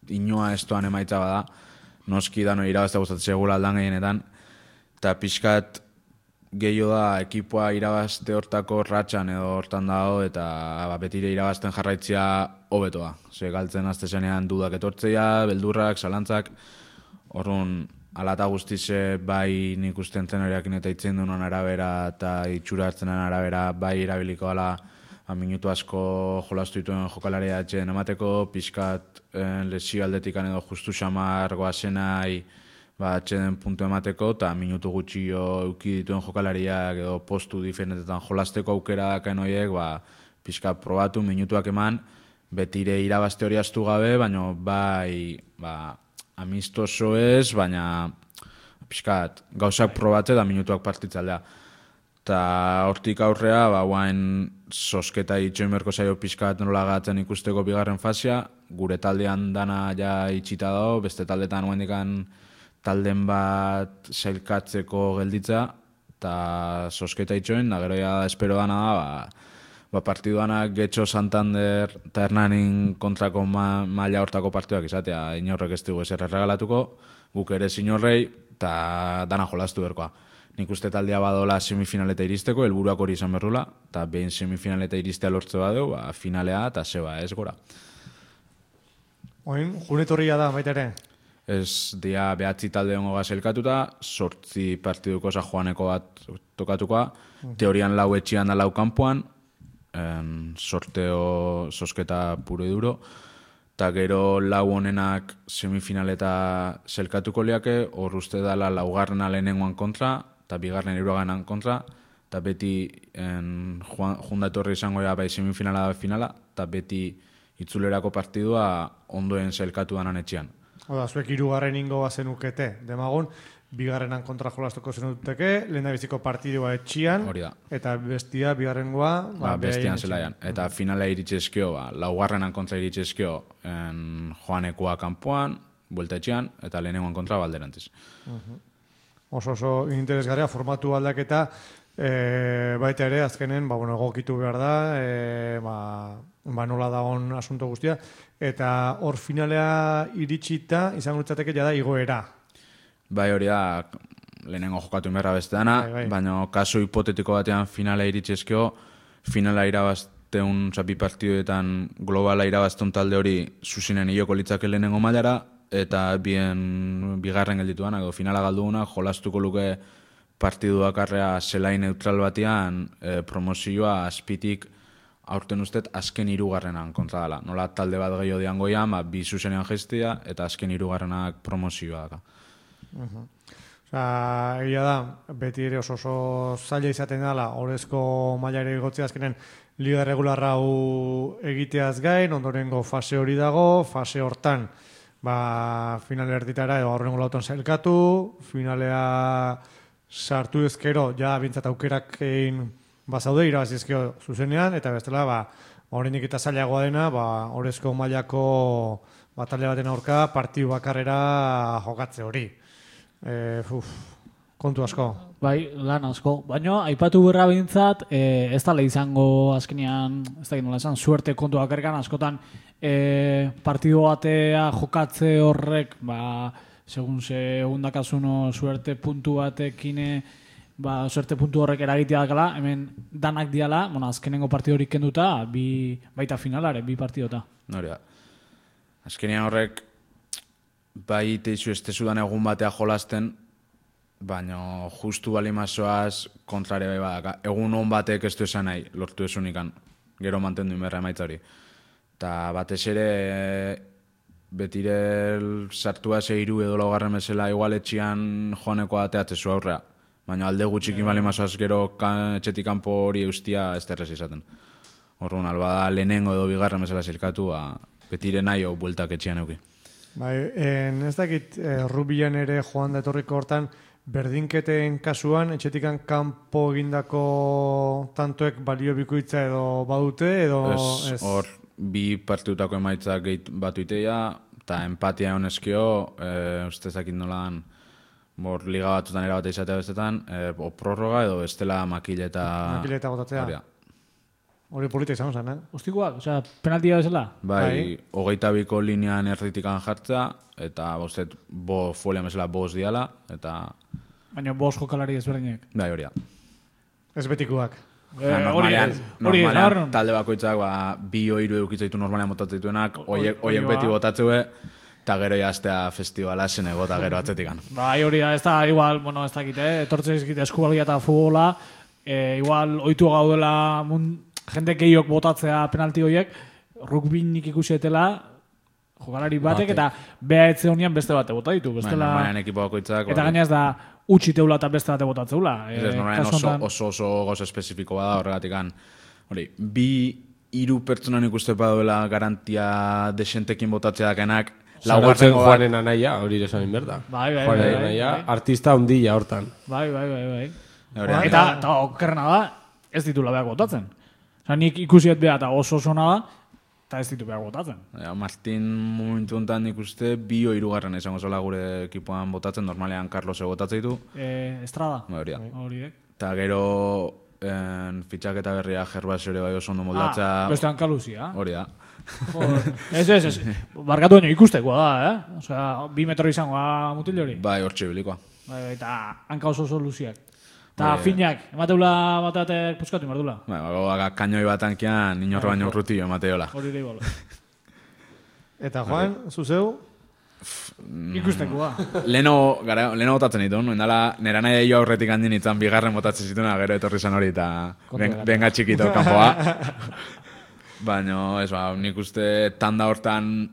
inoa ez doan emaitza bada, noski dano irabazte gustatzen segula aldan gehienetan, eta pixkat gehiago da ekipoa irabazte hortako ratxan edo hortan dago, eta betire irabazten jarraitzia hobetoa. Ze galtzen azte zenean dudak etortzea, beldurrak, zalantzak, horren alata guztize bai nik usten zenoriakin eta itzen dunan arabera eta itxura hartzenen arabera bai irabiliko ala minutu asko jolastu dituen jokalaria etxen emateko, pixkat lesio aldetikan edo justu xamar goazenai atxeden puntu emateko eta minutu gutxio euki dituen jokalariak edo postu diferentetan jolasteko aukera dakaen horiek pixkat probatu minutuak eman, betire irabazte hori astu gabe, baina bai amistoso ez, baina pixkat gauzak probatze da minutuak partitzaldea. Eta hortik aurrea, guain sosketa itxoin berko zaio pixkat nola gatzen ikusteko bigarren fazia, gure taldean dana ja itxita dago, beste taldetan guaindikan talden bat sailkatzeko gelditza, eta sosketa itxoin, da gero ja espero dana da, partiduanak Getxo, Santander eta Hernanin kontrako maila hortako partiduak izatea, inorrek ez dugu ezer erregalatuko, guk ere inorrei, eta dana jolastu berkoa. Nik uste taldea badola semifinaleta iristeko, helburuak hori izan berrula, eta behin semifinaleta iristea lortze badeu, finalea eta zeba ez gora. Oin, junetorria da, baita ere? Ez dia behatzi talde hongo gazelkatuta, 8 partiduko Joaneko bat tokatukoa, teorian lau etxian da lau kanpoan, sorteo sosketa puro y duro, eta gero lau honenak semifinaleta zelkatuko liake, hor uste dala laugarrena lehenengoan kontra, eta bigarren hirugarrenan kontra, eta beti junda etorri izango bai semifinala da finala, eta beti itzulerako partidua ondoen zelkatu danan etxean. Oda, zuek hirugarren ingo bazenukete, demagun, bigarrenan kontra jolastuko zenuteke, lehen da biziko partidua etxian, eta bestia bigarrengoa... bestian zelaian. Eta finala iritsezkio, laugarrenan kontra iritsezkio Joanekoa kanpoan, buelta etxean, eta lehenengoan kontra balderantziz. Oso interesgarria, formatu aldaketa, baita ere, azkenen, egokitu behar da, nola dagoen asunto guztia, eta hor finalea iritsita, izango litzateke jada igoera. Bai, hori da, lehenengo jokatu inberra beste dana, baina kasu hipotetiko batean finala iritsezkio, finala irabazteun, bi partiduetan globala irabazteun talde hori zuzinen ioko litzake lehenengo mailara, eta bigarren geldituan, edo finala galduguna, jolastuko luke partiduak arrea zelai neutral batean promozioa azpitik aurten ustez azken hirugarrenan kontra dela. Nola talde bat gehiago diangoian, bi zuzenean gestia, eta azken hirugarrenak promozioa daka. Egia da, beti ere oso zaila izaten dela, orezko mailare igotzea azkenen liga regularra hau egiteaz gain, ondorengo fase hori dago, fase hortan finale erditara edo aurrengo lautan zailkatu, finalea sartu ezkero, ja bintzat aukerak egin bazaude, irabazizkio zuzenean, eta bestela, horrenik eta zailagoa dena, orezko mailako talde baten aurka partidu bakarrera jokatze hori. Kontu asko. Bai, lan asko. Baina, aipatu berra bintzat, ez da izango azkenean, ez da nola esan, suerte kontu bakarrikan askotan partidu batea jokatze horrek, segun segundakasuno suerte puntu batekin, suerte puntu horrek eragitea dakala, hemen danak diala, azkenengo partidu horik kenduta, baita finalare, 2 partidota. Noria. Azkenean horrek, bai teizu ez tezudan egun batea jolasten, baina justu balimazoaz kontrare bai badaka. Egun hon batek ez du esan nahi, lortu esunikan, gero mantendu inberra emaitza hori. Eta batez ere, betire sartua zeiru edo laugarren bezala igualetxian joaneko ateatzezu aurrea. Baina alde gutxikin balimazoaz gero etxetik kanpo hori eustia ez terrez izaten. Horren, albada lehenengo edo bigarren bezala zirkatu, betire nahi hau bueltak etxian euki. Bai, ez dakit rugbian ere joan da etorriko hortan, berdinketen kasuan, etxetikan kanpo egindako tantoek balio bikoitza edo badute, edo ez? Hor, 2 partidutako emaitzak batu iteia, eta empatia honezkio, ustezakit nolan, liga batutan erabate izatea bestetan, o prorroga edo bestela makileta botatzea. Hori polita izan zen, Ustikoak, osea, penaltia bezala? Bai, 22ko linean erditikan jartza, eta bostet folian bezala 5 diala, eta... Baina 5 jokalari ezberdinek. Bai, hori da. Ez betikoak. Normalean talde bakoitzak 2 o 3 eukitzaitu normalean botatzen dituenak, oiek beti botatzue, eta gero jaztea festivala zen egota gero atzetikan. Bai, hori da, ez da, igual, ez dakite, etortzen izkite eskubalgia eta futbola, igual, oitu gaudela jende gehiok botatzea penalti horiek, rugbinik ikusetela, jokalari batek, eta beha etze honian beste bate bota ditu. Normalean ekipo bakoitzak... Eta gainaz da, utxi teula eta beste bate botatzeula. Normalean oso gozo espezifiko bada horregatik. Hori, 2-3 pertsonan ikuste baduela garantia desentekin botatzea dakenak, Zarautzen Juanen anaia, hori esan inberda. Bai. Artista ondila hortan. Bai. Eta okerrena da, ez ditula behar botatzen. Nik ikusiet behar eta oso da, eta ez ditu behar botatzen. Martin momentu honetan nik uste 2 o 3 izango zola gure ekipoan botatzen, normalean Carlos botatzen ditu. Estrada. Hori. Eta gero fitxaketa berria Gervasio ere bai oso ondo moldatza. Bestean Kaluzia. Hori da. Ez. Barkatu baino ikustekoa da, Osea, 2 metro izangoa mutil hori. Bai, hortxe bilikoa. Bai, eta hanka oso luziak. Eta finak, emateula batatek puskatu imardula. Bai, kainoi bat ankian, inorro baino urrutillo emateola. Hori da igual. Eta Juan, zuzeu? Ikustekoa. Leno botatzen ditu, nera nahi jo aurretik handin itzan 2 botatzen zituna, gero etorri zan hori, eta benga txikito kanpoa. Baina, nik uste tanda hortan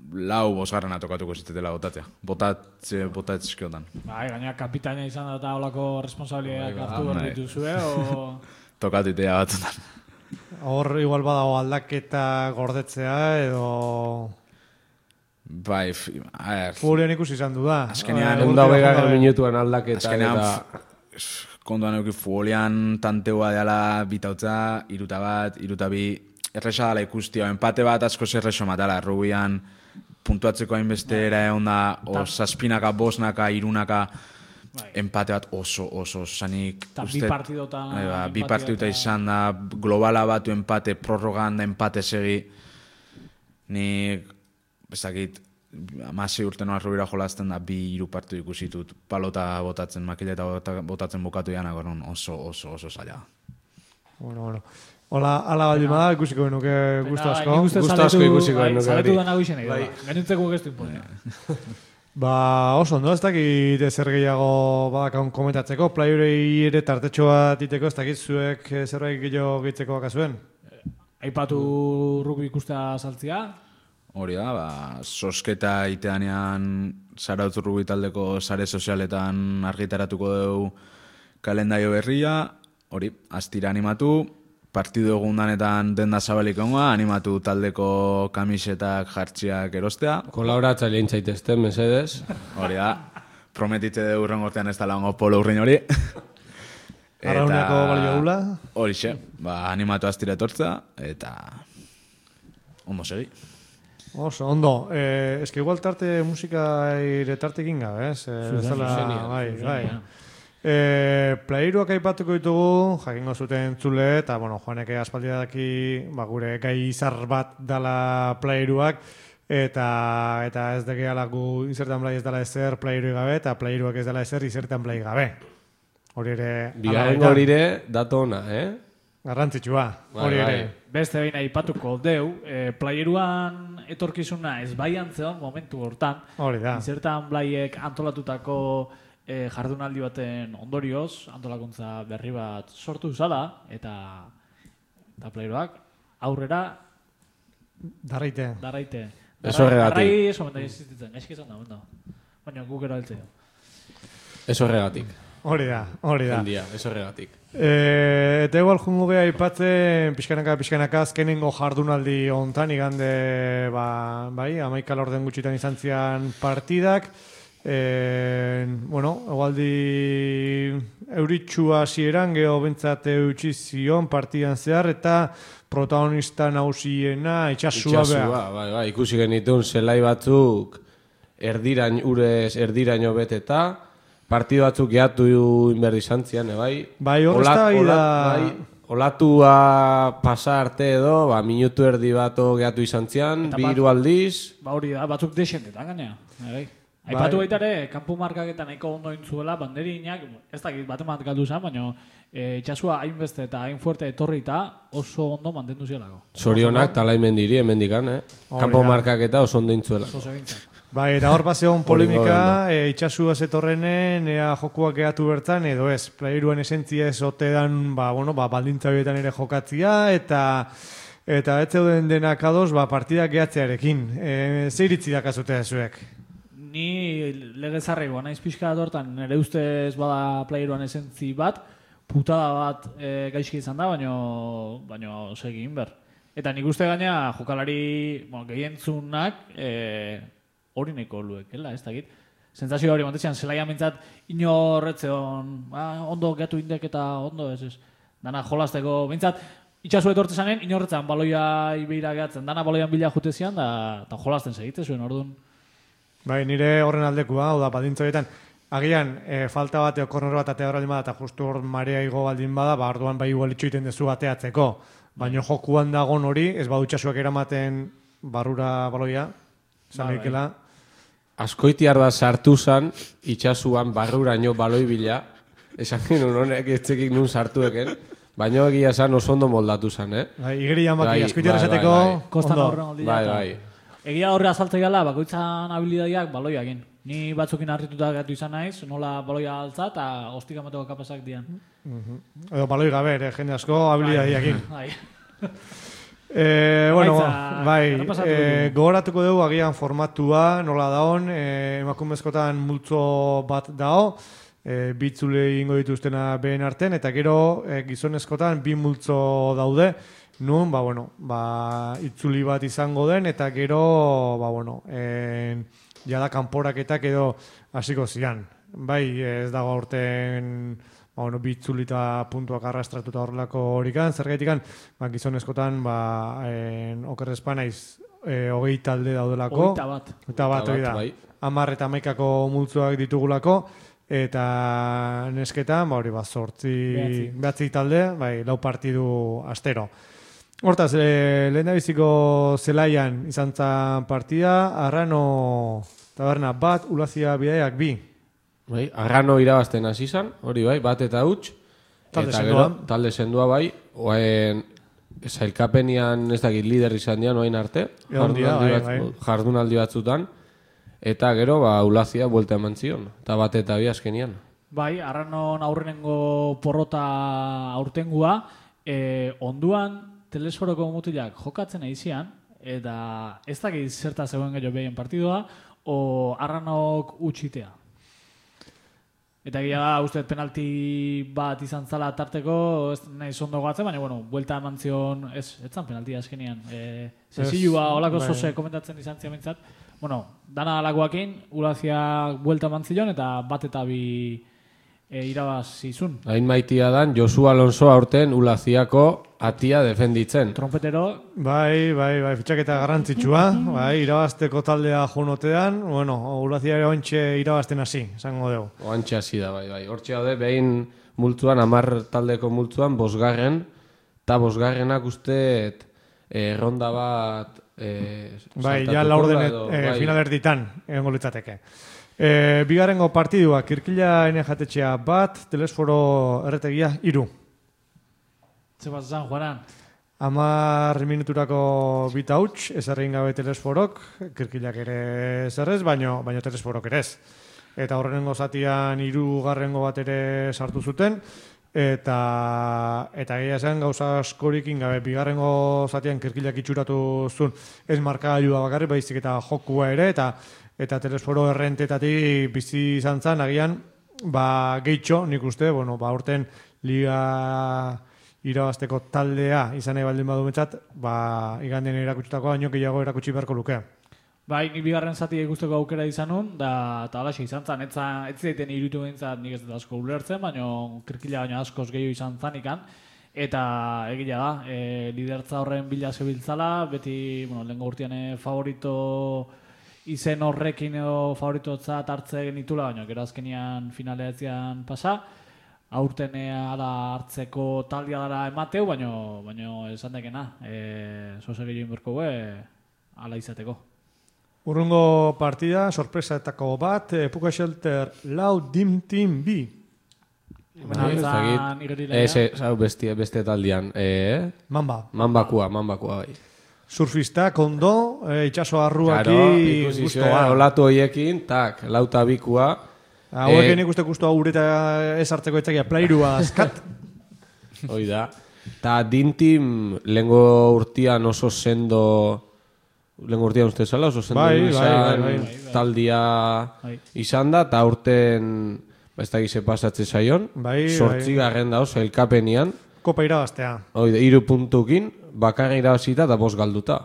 4-5 atokatuko zitetela botatzea. Botatzizkiotan. Bai, gaina kapitaina izan da eta olako responsabiliak hartu behar dituzue, o... Tokatu itea batzutan. Hor igual badago aldaketa gordetzea edo... Bai, a ver... Fulian ikusi izan du da. Azkenean... Onda begar minutuan aldaketa. Azkenean... Kontuan euki futbolian tanteua deala bitautza, 3-1, 3-2... Erresa dala ikustia, empate bat asko zerrexo matala, rubian puntuatzeko hainbeste era egon da, o 7naka, 5naka, 3naka, empate bat oso sanik. Eta 2 partidota... 2 partidota izan da, globala batu empate, prorrogan da empate segi. Nik, bezakit, 16 urte noa rubira jolazten da, 2-3 partidu ikusitut, palota botatzen, makileta botatzen bukatu janak, oso zaila. Bueno. Hola, ala baldin bada, ikusiko genuke gustu asko. Gustu asko ikusiko genuke. Zaletu dana guixen egin. Gainuntzeko gestu imponen. Oso ondo, ez dakit zer gehiago badakon komentatzeko. Playurei ere tartetxo bat iteko, ez dakit zuek zerbait gehiago gehitzeko bakazuen. Aipatu rugby ikustea saltzia. Hori da, sosketa iteanean Zarautz rugby taldeko sare sozialetan argitaratuko dugu kalendario berria. Hori, astira animatu. Partidu egundanetan denda zabalik ongoa, animatu taldeko kamisetak jartziak erostea. Kolaboratzailein zaitezten, mesedez. Hori da. prometitze de urren urtean ez da lango polo urrin hori. Arrauneko balio gula. Horixe, animatu aztira etortza, eta ondo segi. Oso, ondo. Eske igual tarte musika tartekin gabe, ez? Bai. Playruak aipatuko ditugu, jakingo zuten entzule, eta, bueno, Joaneke aspaldia daki, gure gai izar bat dala playruak, eta ez degeala gu izertan play ez dala ezer playru gabe, eta playruak ez dala ezer izertan play gabe. Hori ere... Bigarrengo hori ere, dato ona, Garrantzitsua, hori ere. Beste behin aipatuko deu, playeruan etorkizuna ez baian zeon momentu hortan. Hori da. Izertan blaiek antolatutako jardunaldi baten ondorioz, antolakuntza berri bat sortu zala, eta playeruak aurrera darraite. Ez horregatik. Darrai ez omen da existitzen, gaizki izan da, baina guk erabiltzea. Ez horregatik. Hori da. Jendia, ez horregatik. Eta igual jungo geha aipatzen pixkanaka azkenengo jardunaldi hontan igande, bai, 11 laurden gutxitan izan zian partidak. Egualdi euritsua hasieran geho bentsat eutxi zion partidan zehar, eta protagonista nausiena itxasua beha. Bai, ikusi genitun zelai batzuk erdiraino beteta, partidu batzuk geatu inberdi zantzian, bai? Bai, horrezta olatua pasa arte edo, minutu erdi bato geatu izan zian, bi hiru aldiz. Hori da, batzuk desentetan gainea. Aipatu baita ere, kanpo markaketan nahiko ondo intzuela, banderinak, ez dakit bat galdu zen, baina itxasua hainbeste eta hain fuerte etorri eta oso ondo mantendu zielako. Zorionak talaimen diri, hemendikan, kanpo markaketa oso ondo intzuela. Bai, eta hor bazeon polemika, itxasua zetorrenen, jokuak gehatu bertan, edo ez, playeruen esentzia ez otedan, baldintza horietan ere jokatzia, eta ez zeuden denak ados, partidak gehatzearekin. Ze iritzi dakazutea zuek? Ni legezarregoa naiz pixka hortan, nire ustez bada playeruan esentzi bat, putada bat gaizki izan da, baina segin ber. Eta nik uste gaina jokalari gehientzunak hori neko luekela, ez dakit. Sentsazio hori montetzean, zelaia mintzat inorretzeon, ondo gehiatu indek eta ondo ez. Dana jolazteko, mintzat, itxasu etortze zanen, inorretzen baloia ibeira gehatzen, dana baloian bila jutezian, eta jolazten segite zuen, orduan. Bai, nire horren aldekua, hau da, baldintza horietan, agian, falta bat, korner bat atea baldin bada, eta justu hor marea igo baldin bada, orduan bai igual itxoiten dezu ateatzeko. Baina jokuan dagon hori, ez badu itxasuak eramaten barrura baloia, zalikela. Askoitiar da sartu zan, itxasuan barruraino baloi bila, esan genuen honek etxekik nun sartueken, baina egia zan oso ondo moldatu zan, Igerian baki, askoitiar esateko, Kostan horren oldia. Bai. Egia horre azaltzea gala, bakoitzan habilidadiak baloia egin. Ni batzukin harrituta gatu izan naiz, nola baloia altza eta ostik amateko kapazak dian. Edo baloi gabe, jende asko habilidadiak egin. Bai. Gogoratuko dugu agian formatua, nola daon, emakumezkotan multzo bat dao, bitzule ingo dituztena behen arten, eta gero gizonezkotan bi multzo daude, nun, itzuli bat izango den, eta gero, jada kanporaketak edo hasiko zian. Bai, ez dago aurten bitzuli eta puntuak arrastratuta horrelako horikan, zergaitikan, gizonezkotan, okerrezpa naiz, 20 talde daudelako. 21 bat, hori da. 10 eta 11 multzoak ditugulako, eta nesketan, 8 talde, 4 partidu astero. Hortaz, lehendabiziko zelaian izan zan partida, Arrano taberna bat, Ulazia bidaiak 2. Bai, Arrano irabazten hasi zan, hori bai, bat eta huts. Talde sendua bai, oain zailkapenian ez dakit lider izan dian oain arte, jardunaldi batzutan, eta gero Ulazia buelta eman zion, eta bat eta bi azkenian. Bai, Arranon aurrenengo porrota aurtengua, onduan telesforoko mutilak jokatzen aizian, eta ez dakit zerta zegoen gehiago behien partidua, o Arranok utxitea. Eta egia da, uste penalti bat izan zala tarteko, ez nahi zondo gatzen, baina, bueno, buelta eman zion, ez zan penalti azkenian. Zezilua, olako zoze komentatzen izan zian bintzat. Bueno, dana alakoakin, Ulaziak buelta eman zion, eta bat eta bi irabaz izun. Hain maitia dan, Josu Alonso aurten Ulaziako atia defenditzen. Trompetero. Bai, fitxaketa garrantzitsua, bai, irabazteko taldea jonotean, bueno, Ulazia ere ointxe irabazten hasi, esango dugu. Oantxe hasi da, bai. Hortxe daude, behin multzuan, 10 taldeko multzuan, 5. Eta 5. usteet ronda bat bai, ja laurden finalerditan egongo litzateke. Bigarrengo partidua, Kirkila jatetxea bat, Telesforo erretegia 3. Zebaz zan, Juanan? 10 minuturako bita huts, ezarrin gabe Telesforok, Kirkilak ere zerrez, baino Telesforok ere ez. Eta horrengo zatian 3. bat ere sartu zuten, eta egia zen gauza askorikin gabe bigarrengo zatian Kirkilak itxuratu zuen ez markagailua bakarrik, baizik eta jokua ere, eta Telesforo errentetatik bizi izan zen, agian, gehitxo, nik uste, urten liga irabazteko taldea izan nahi baldin badu metzat, iganden erakutsitako baino gehiago erakutsi beharko luke. Bai, nik bigarren zati ikusteko aukera izan nun, eta alaxe izan zen, ez zaiten irutu behintzat nik ez dut asko ulertzen, baina Kirkila baino askoz gehiago izan zanikan, eta egia da, lidertza horren bila zebiltzala, beti, lehenko urtean favorito izen horrekin edo favoritotzat hartze genitula, baina gero azkenian finaleatzean pasa, aurten ala hartzeko taldia dara emateu, baina esan dekena, zoze gehiago inberko ala izateko. Urrungo partida, sorpresaetako bat, Puka Shelter lau Dim Team B. Beste taldean. Mambakua, bai. Surfista, kondo, itxaso arruaki guztoa. Olatu hoiekin, lauta bikua. Hauekin ikuste guztoa ureta ez hartzeko etzakia, plairua azkat. Hoi da. Ta Dintim lehengo urtean oso sendo... Lehenko urtean uste zala, oso sendo taldia izan da, eta urten ez da gize pasatze zaion. 8. da oso, elkapenian. Kopa irabaztea. Hoi da, 3 puntukin, bakarra irabazita eta 5 galduta.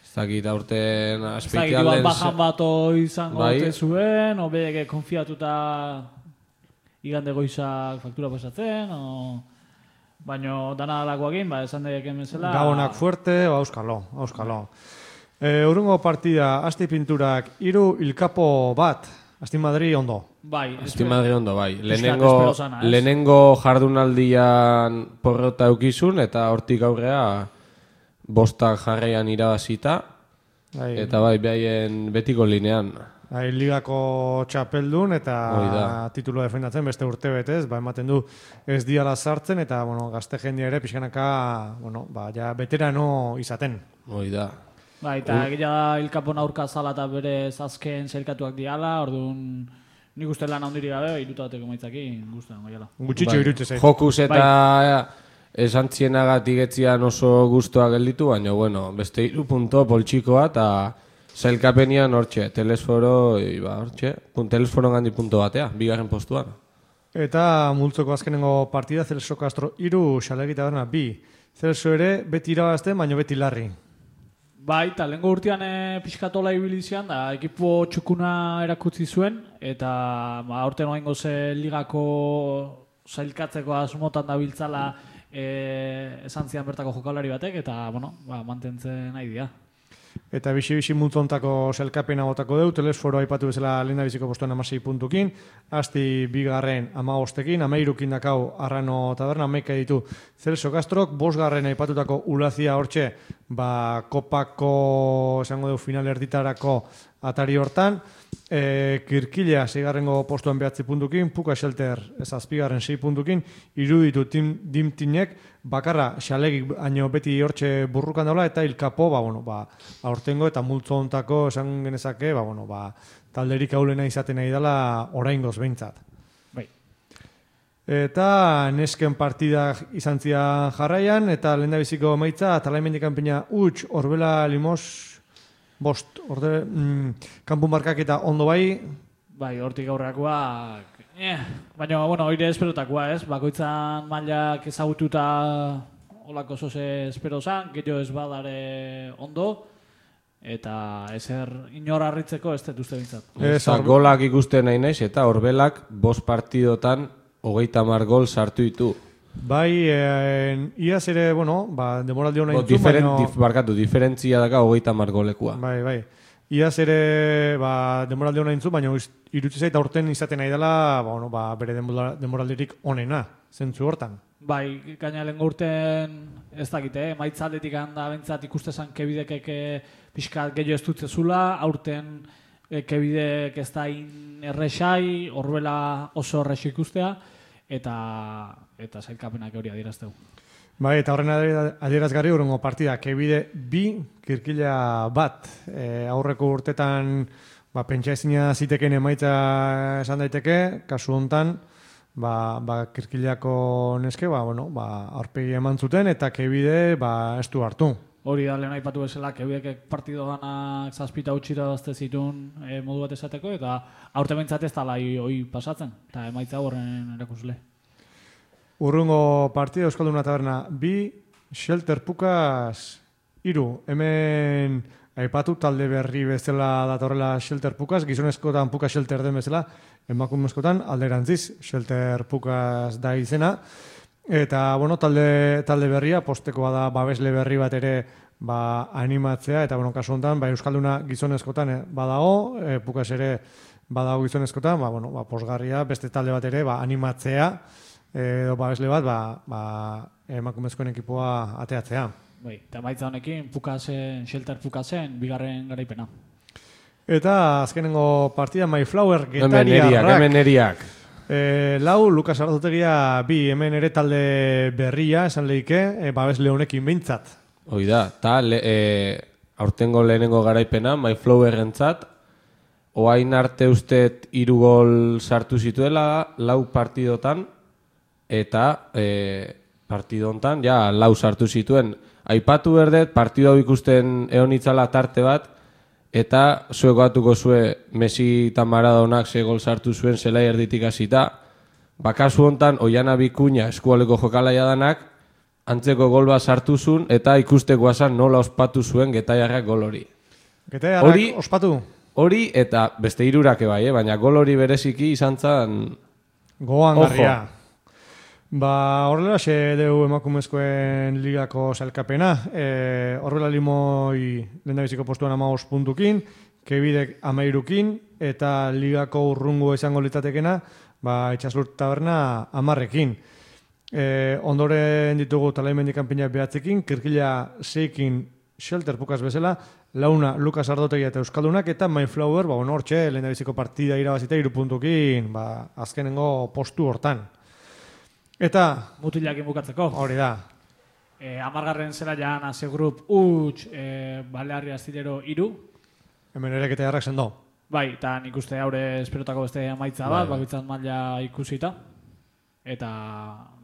Ez dakit aurten aspeitea lehen... bajan bat izango zuen, obedeke konfiatuta igande goizak faktura pasatzen, baina dana alakoakin, esan daik emezela... Gabonak fuerte, auskalo. Urrungo partida, Asti Pinturak 3, Ilkapo bat, Asti Madri ondo. Bai. Asti Madri ondo, bai. Lehenengo jardunaldian porrota eukizun, eta hortik aurrea 5 jarraian irabazita, eta behaien betiko linean. Ligako txapeldun eta titulo defendatzen beste urte betez, ematen du ez diala sartzen eta gazte jendia ere pixkanaka ja veterano izaten. Hoi da. Eta egia Ilkapon aurka zala eta bere azken zailkatuak diala, orduan nik uste lan handiri gabe, irutateko maitzakin, guztien goiala. Gutxitxo irutze zait. Jokus eta esantzienagat igetzian oso guztua gelditu, baina beste 3 punto poltsikoa eta zailkapenian hortxe, Telesforo, Telesforo gandi punto batea, bigarren postuan. Eta multzoko azkenengo partida, Celso Castro 3, Xalegita Berna 2. Celso ere beti irabazten, baina beti larri. Bai, eta lehenko urtean pixkatola ibilizian, da ekipo txukuna erakutzi zuen, eta aurten oaingo ze ligako zailkatzeko asmotan da biltzala esan zian bertako jokalari batek, eta mantentzen nahi dira. Eta bixi multzontako zelkapena botako deu, Telesforo aipatu bezala lehen biziko postuan 16 puntukin, Asti bigarren 15ekin, 13 dakau Arrano Taberna, 11 ditu Celso Castrok, 5 aipatutako Ulazia hortxe, kopako esango deu final erditarako atari hortan, Kirkilea 6. postuan 9 puntukin, Puka Shelter 7. 6 puntukin, iruditu Dimtinek, bakarra xalegik baino beti hortxe burrukan daula, eta Ilkapo, aurtengo eta multzo ontako esan genezake, talderik aulena izaten nahi dela oraingoz behintzat. Bai. Eta nesken partidak izan zian jarraian, eta lehen da biziko maitza, talaimendik kanpina huts, Orbela Limos, 5, kanpun markak eta ondo bai, Bai, hortik aurrekoak, baina, bueno, hori esperotakoa, ez? Bakoitzan mailak ezagututa olako zoze espero zan, gero ez badare ondo, eta ezer inor harritzeko ez dut uste bintzat. Eta golak ikusten nahi naiz, eta Orbelak 5 partidotan 30 gol sartu ditu. Bai, iaz ere, bueno, demoraldi hona intzu, Diferentzia daka 30 golekua. Bai. Iaz ere, demoraldi hona intzu, baina irutzi zait aurten izaten nahi dela, bere demoraldirik onena, zentzu hortan. Bai, gaina lehen urten ez dakite, maitza aldetik handa bentsat ikustezan kebidekek pixkat gehiago ez dutze zula, aurten kebidek ez da erresai, Orbela oso erres ikustea, eta zailkapenak hori adierazteu. Bai, eta horren adierazgarri urrengo partida, kebide 2, Kirkila 1. Aurreko urtetan pentsa ezina ziteken emaitza esan daiteke, kasu hontan, Kirkilako neske, aurpegi eman zuten, eta kebide ez du hartu. Hori da, lehen aipatu bezala, kebidekek partido ganak zazpita utxira dazte zituen modu bat esateko, eta aurte bentsat ez tala hoi pasatzen, eta emaitza horren erakusle. Urrungo partida Euskalduna Taberna 2, Shelter Pukas 3. Hemen aipatu talde berri bezala datorrela Shelter Pukas, gizonezkotan Pukas Shelter den bezala, emakumezkotan alderantziz Shelter Pukas da izena. Eta, talde berria, postekoa da babesle berri bat ere animatzea, eta, kasu honetan, Euskalduna gizonezkotan badago, Pukas ere badago gizonezkotan, posgarria, beste talde bat ere animatzea, edo babesle bat, emakumezkoen ekipoa ateatzea. Bai, eta maitza honekin, Shelter Pukasen, bigarren garaipena. Eta azkenengo partida, Mayflower Getariarrak. Hemen eriak. Lau, Lukas Ardotegia 2, hemen ere talde berria, esan lehike, babesle honekin behintzat. Hoi da, eta aurtengo lehenengo garaipena, Mayflower entzat, oain arte ustet 3 gol sartu zituela, 4 partidotan, eta partido hontan, ja, 4 sartu zituen. Aipatu berdet, partido hau ikusten egon itzala tarte bat, eta zueko atuko zue Messi eta Maradonak ze gol sartu zuen zelai erditik hasita. Kasu hontan, Oiana Bikuña eskualeko jokalaia danak, antzeko gol bat sartu zuen, eta ikusteko zan nola ospatu zuen Getaiarrak gol hori. Getaiarrak ospatu? Hori, eta beste 3 bai, baina gol hori bereziki izan zan... Goan garria. Horrela xe deu emakumezkoen ligako sailkapena. Horrela Limoi lehendabiziko postuan 15 puntukin, kebidek 13kin, eta ligako urrungo izango litzatekena, Itxaslur Taberna 10ekin. Ondoren ditugu Talaimendi kanpina 9ekin, Kirkila 6ekin Shelter Pukas bezala, 4 Lukas Ardotegia eta Euskaldunak, eta Mayflower, hortxe, lehendabiziko partida irabazita 3 puntukin, azkenengo postu hortan. Eta... Mutilakin bukatzeko. Hori da. 10. zela jan Ase Group utx, Balearri Astillero 3. Hemen ere Getaiarrak sendo. Bai, eta nik uste haure esperotako beste amaitza bat, bakoitzan maila ikusita. Eta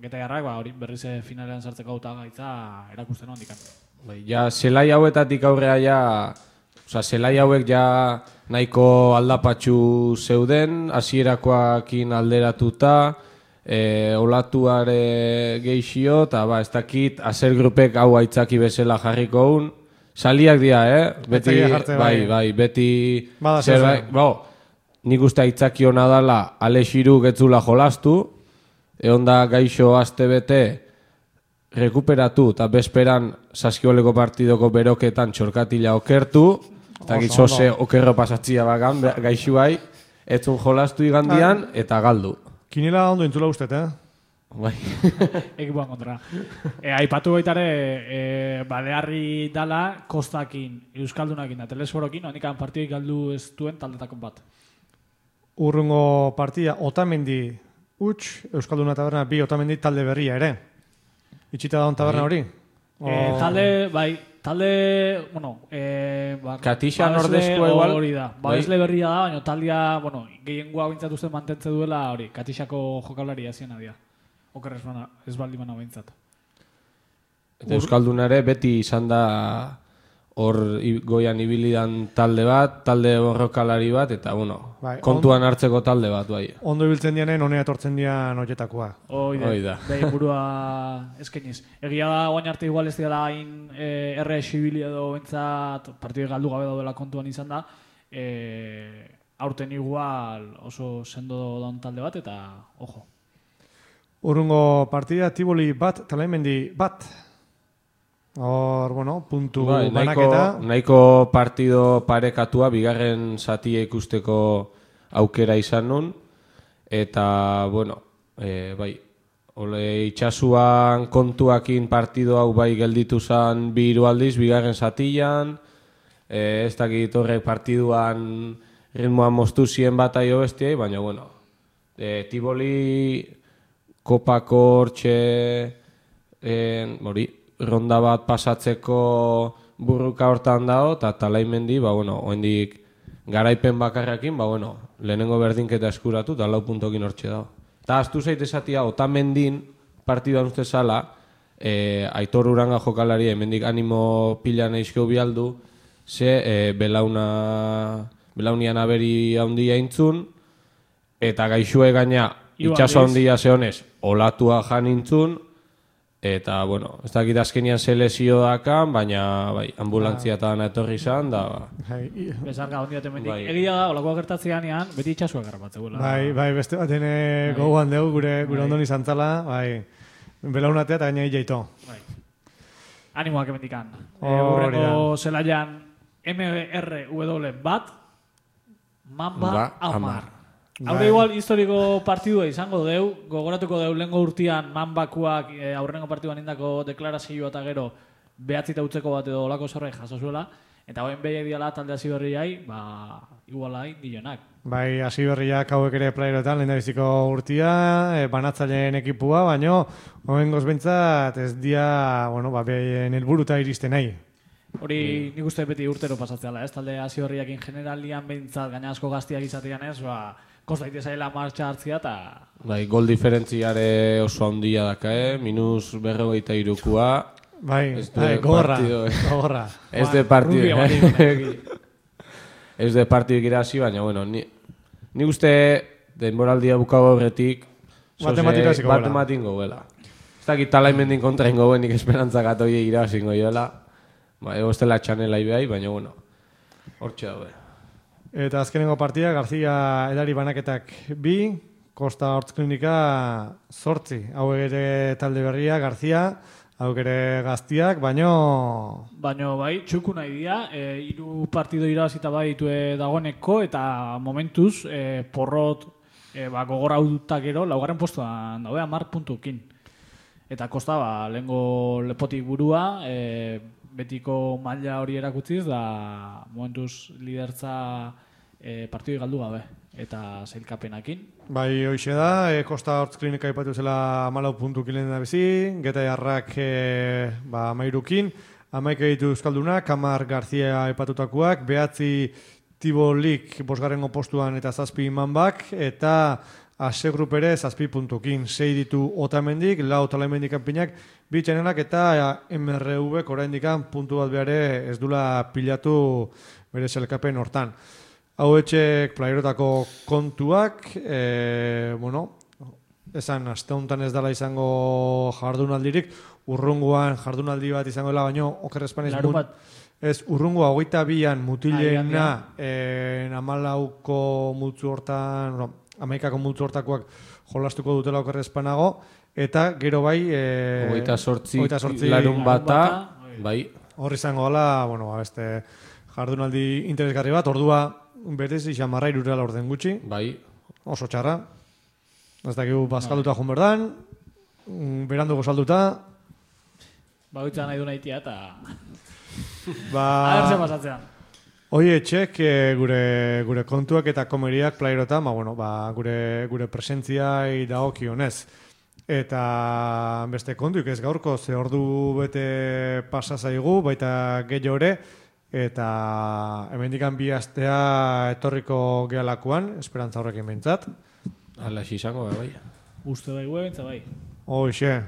Getaiarrak, hori berriz finalean sartzeko auta gaitza erakusten handikan. Bai, ja, zelai hauetatik aurrea ja... zelai hauek ja nahiko aldapatxu zeuden, hasierakoakin alderatuta, olatuare geixio, eta ez dakit, Aser Grupek hau aitzaki bezala jarriko un. Saliak dira, beti, bai, beti... Nik uste aitzaki hona dala, Alexiru getzula jolastu, egon da gaixo aste bete rekuperatu, eta bezperan Saskioleko partidoko beroketan txorkatila okertu, eta gitzose okerro pasatzia bagan, gaixo bai, etzun jolastu igandian, eta galdu. Kinela ondo entzula ustet, Bai. Ekipuan kontra. Aipatu baitare, Balearri dala, Kostakin, Euskaldunakin da Telesforokin, honikan partidik galdu ez duen taldetakon bat. Urrungo partida, Otamendi utx, Euskalduna Taberna 2 Otamendi talde berria ere. Itxita da taberna hori? Katixan ordezko igual. Hori da. Babesle berria da, baina taldea, gehiengoa bintzatu zen mantentze duela, hori, Katixako jokalari azien adia. Oker ez baldi mana bintzat. Eta Euskaldunare beti izan da hor goian ibilidan talde bat, talde borrokalari bat, eta bueno, Bai, kontuan hartzeko talde bat, bai. Ondo ibiltzen dianen, honea etortzen dian horietakoa. Hoi da. Behin burua eskeniz. Egia da, guain arte igual ez dira hain erre esibili edo bentsat partidu galdu gabe daudela kontuan izan da. Aurten igual oso sendo daun talde bat eta ojo. Urrungo partida, Tiboli bat, Talaimendi bat. Hor, bueno, puntu banaketa. Nahiko partido parekatua, bigarren zatia ikusteko aukera izan nun. Eta, bueno, bai, itxasuan kontuakin partido hau bai gelditu zen 2 aldiz, bigarren zatian. Ez dakit horrek partiduan ritmoan moztu zien bat aio bestiai, baina, bueno, Tiboli kopako hortxe, ronda bat pasatzeko burruka hortan dago, eta Talaimendi, bueno, oendik garaipen bakarrakin, bueno, lehenengo berdinketa eskuratu, eta 4 puntokin hortxe dago. Eta aztu zait esatia, Otamendin partiduan uste zala, Aitor Uranga jokalari, hemendik animo pila nahizkeu bialdu, ze belaunian aberi handia intzun, eta gaixue gaina itxaso handia zehonez, olatua jan intzun, eta, bueno, ez dakit azkenian selezio dakan, baina, bai, ambulantzia eta dana etorri izan, da, Bezarka hondi baten mendik. Egia da, olakoa gertatzean beti itxasuak garrapatzegula. Bai, beste baten gogoan dugu gure ondoni zantzala, bai, belaunatea eta gaina jaito. Bai. Animoak emendikan. Urreko zelaian MRW bat, Mamba Amar. Haure igual historiko partidua izango deu, gogoratuko deu lehengo urtean Mambakuak aurrengo partiduan indako deklarazioa eta gero behatzita utzeko bat edo olako zerbait jaso zuela, eta hoen behiak diala talde hasi berriai, igualai dionak. Bai, hasi berriak hauek ere playerotan, lehen da biziko urtia, banatzaileen ekipua, baino, hoen gozbentzat ez dia, bueno, behien helburuta iristen nahi. Hori nik uste beti urtero pasatzeala, ez? Talde hasi berriakin generalian behintzat, gaina asko gaztiak izatean ez, kostaite zaila martxa hartzia eta... Bai, gol diferentziare oso handia daka, minus 43-koa. Bai, gorra. Ez de partido. Ez de partido irazi, baina, bueno, ni uste denboraldia bukau horretik matematik gobela. Ez dakit Talaimendin kontra ingo benik esperantzak atoie irazi ingo joela. Ego ez dela txanela ibehai, baina, bueno, hortxe daue. Eta azkenengo partida, Garzia edari banaketak 2, Kosta Hortz Klinika 8. Hau ere talde berria, Garzia, hau ere gaztiak, baino bai, txuku nahi dira, 3 partido irabazita bai ditue dagoeneko, eta momentuz, porrot gogora hautak gero, 4. postuan daude, 10 puntukin. Eta Kosta, lehengo lepotik burua, betiko maila hori erakutziz, da momentuz lidertza partidu galdu gabe, eta zailkapenakin. Bai, hoxe da, Kosta Hortz Klinika ipatu zela 14 puntukin lehen da bizi, Geta Jarrak 13, 11 ditu Euskaldunak, 10 Garzia ipatutakoak, 9 Tibolik 5. postuan eta 7 Manbak, eta Ase Grup ere 7 puntukin, 6 ditu Otamendik, 4 Talaimendik kanpinak, 2 txanelak eta MRV oraindikan puntu bat behare ez dula pilatu bere zelkapen hortan. Hau etxek playerotako kontuak, esan aste honetan ez dela izango jardunaldirik, urrunguan jardunaldi bat izango dela, baino okerrezpan ez urrungoa 22an mutileena 14ko multzu hortan, 11ko multzu hortakoak jolastuko dutela okerrezpanago, eta gero bai 28 larun bata, bai. Hor izango dela, beste jardunaldi interesgarri bat, ordua berez xamarra irurela orden gutxi. Bai. Oso txarra. Ez dakigu bazkalduta joan berdan, beranduko salduta. Bagoitza nahi du nahitia eta... Ahertzen pasatzean. Oie, txek, gure kontuak eta komeriak playerotan, gure presentzia dagokionez. Eta beste kontuik ez gaurko, ze ordu bete pasa zaigu, baita gehiago ere, eta hemendikan 2 astea etorriko gealakoan, esperantza horrekin behintzat. Hala izango, bai. Uste bai, behintzat bai. Hoxe,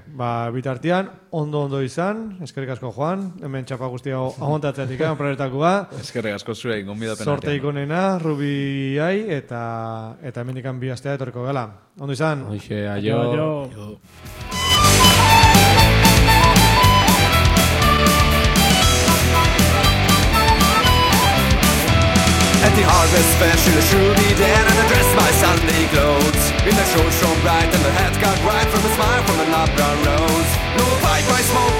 bitartian, ondo izan, eskerrik asko Juan, hemen txapa guztia amontatzeatik, proiektakua. Eskerrik asko zure gonbidapen Sorte ikonena, Rubiai, eta hemendikan bi astea etorriko gala. Ondo izan? Hoxe, aio. At the harvest fair she'll be there, and I dress my Sunday clothes. In the show shone bright and the hat got right from a smile from a nut brown nose. No pipe I smoke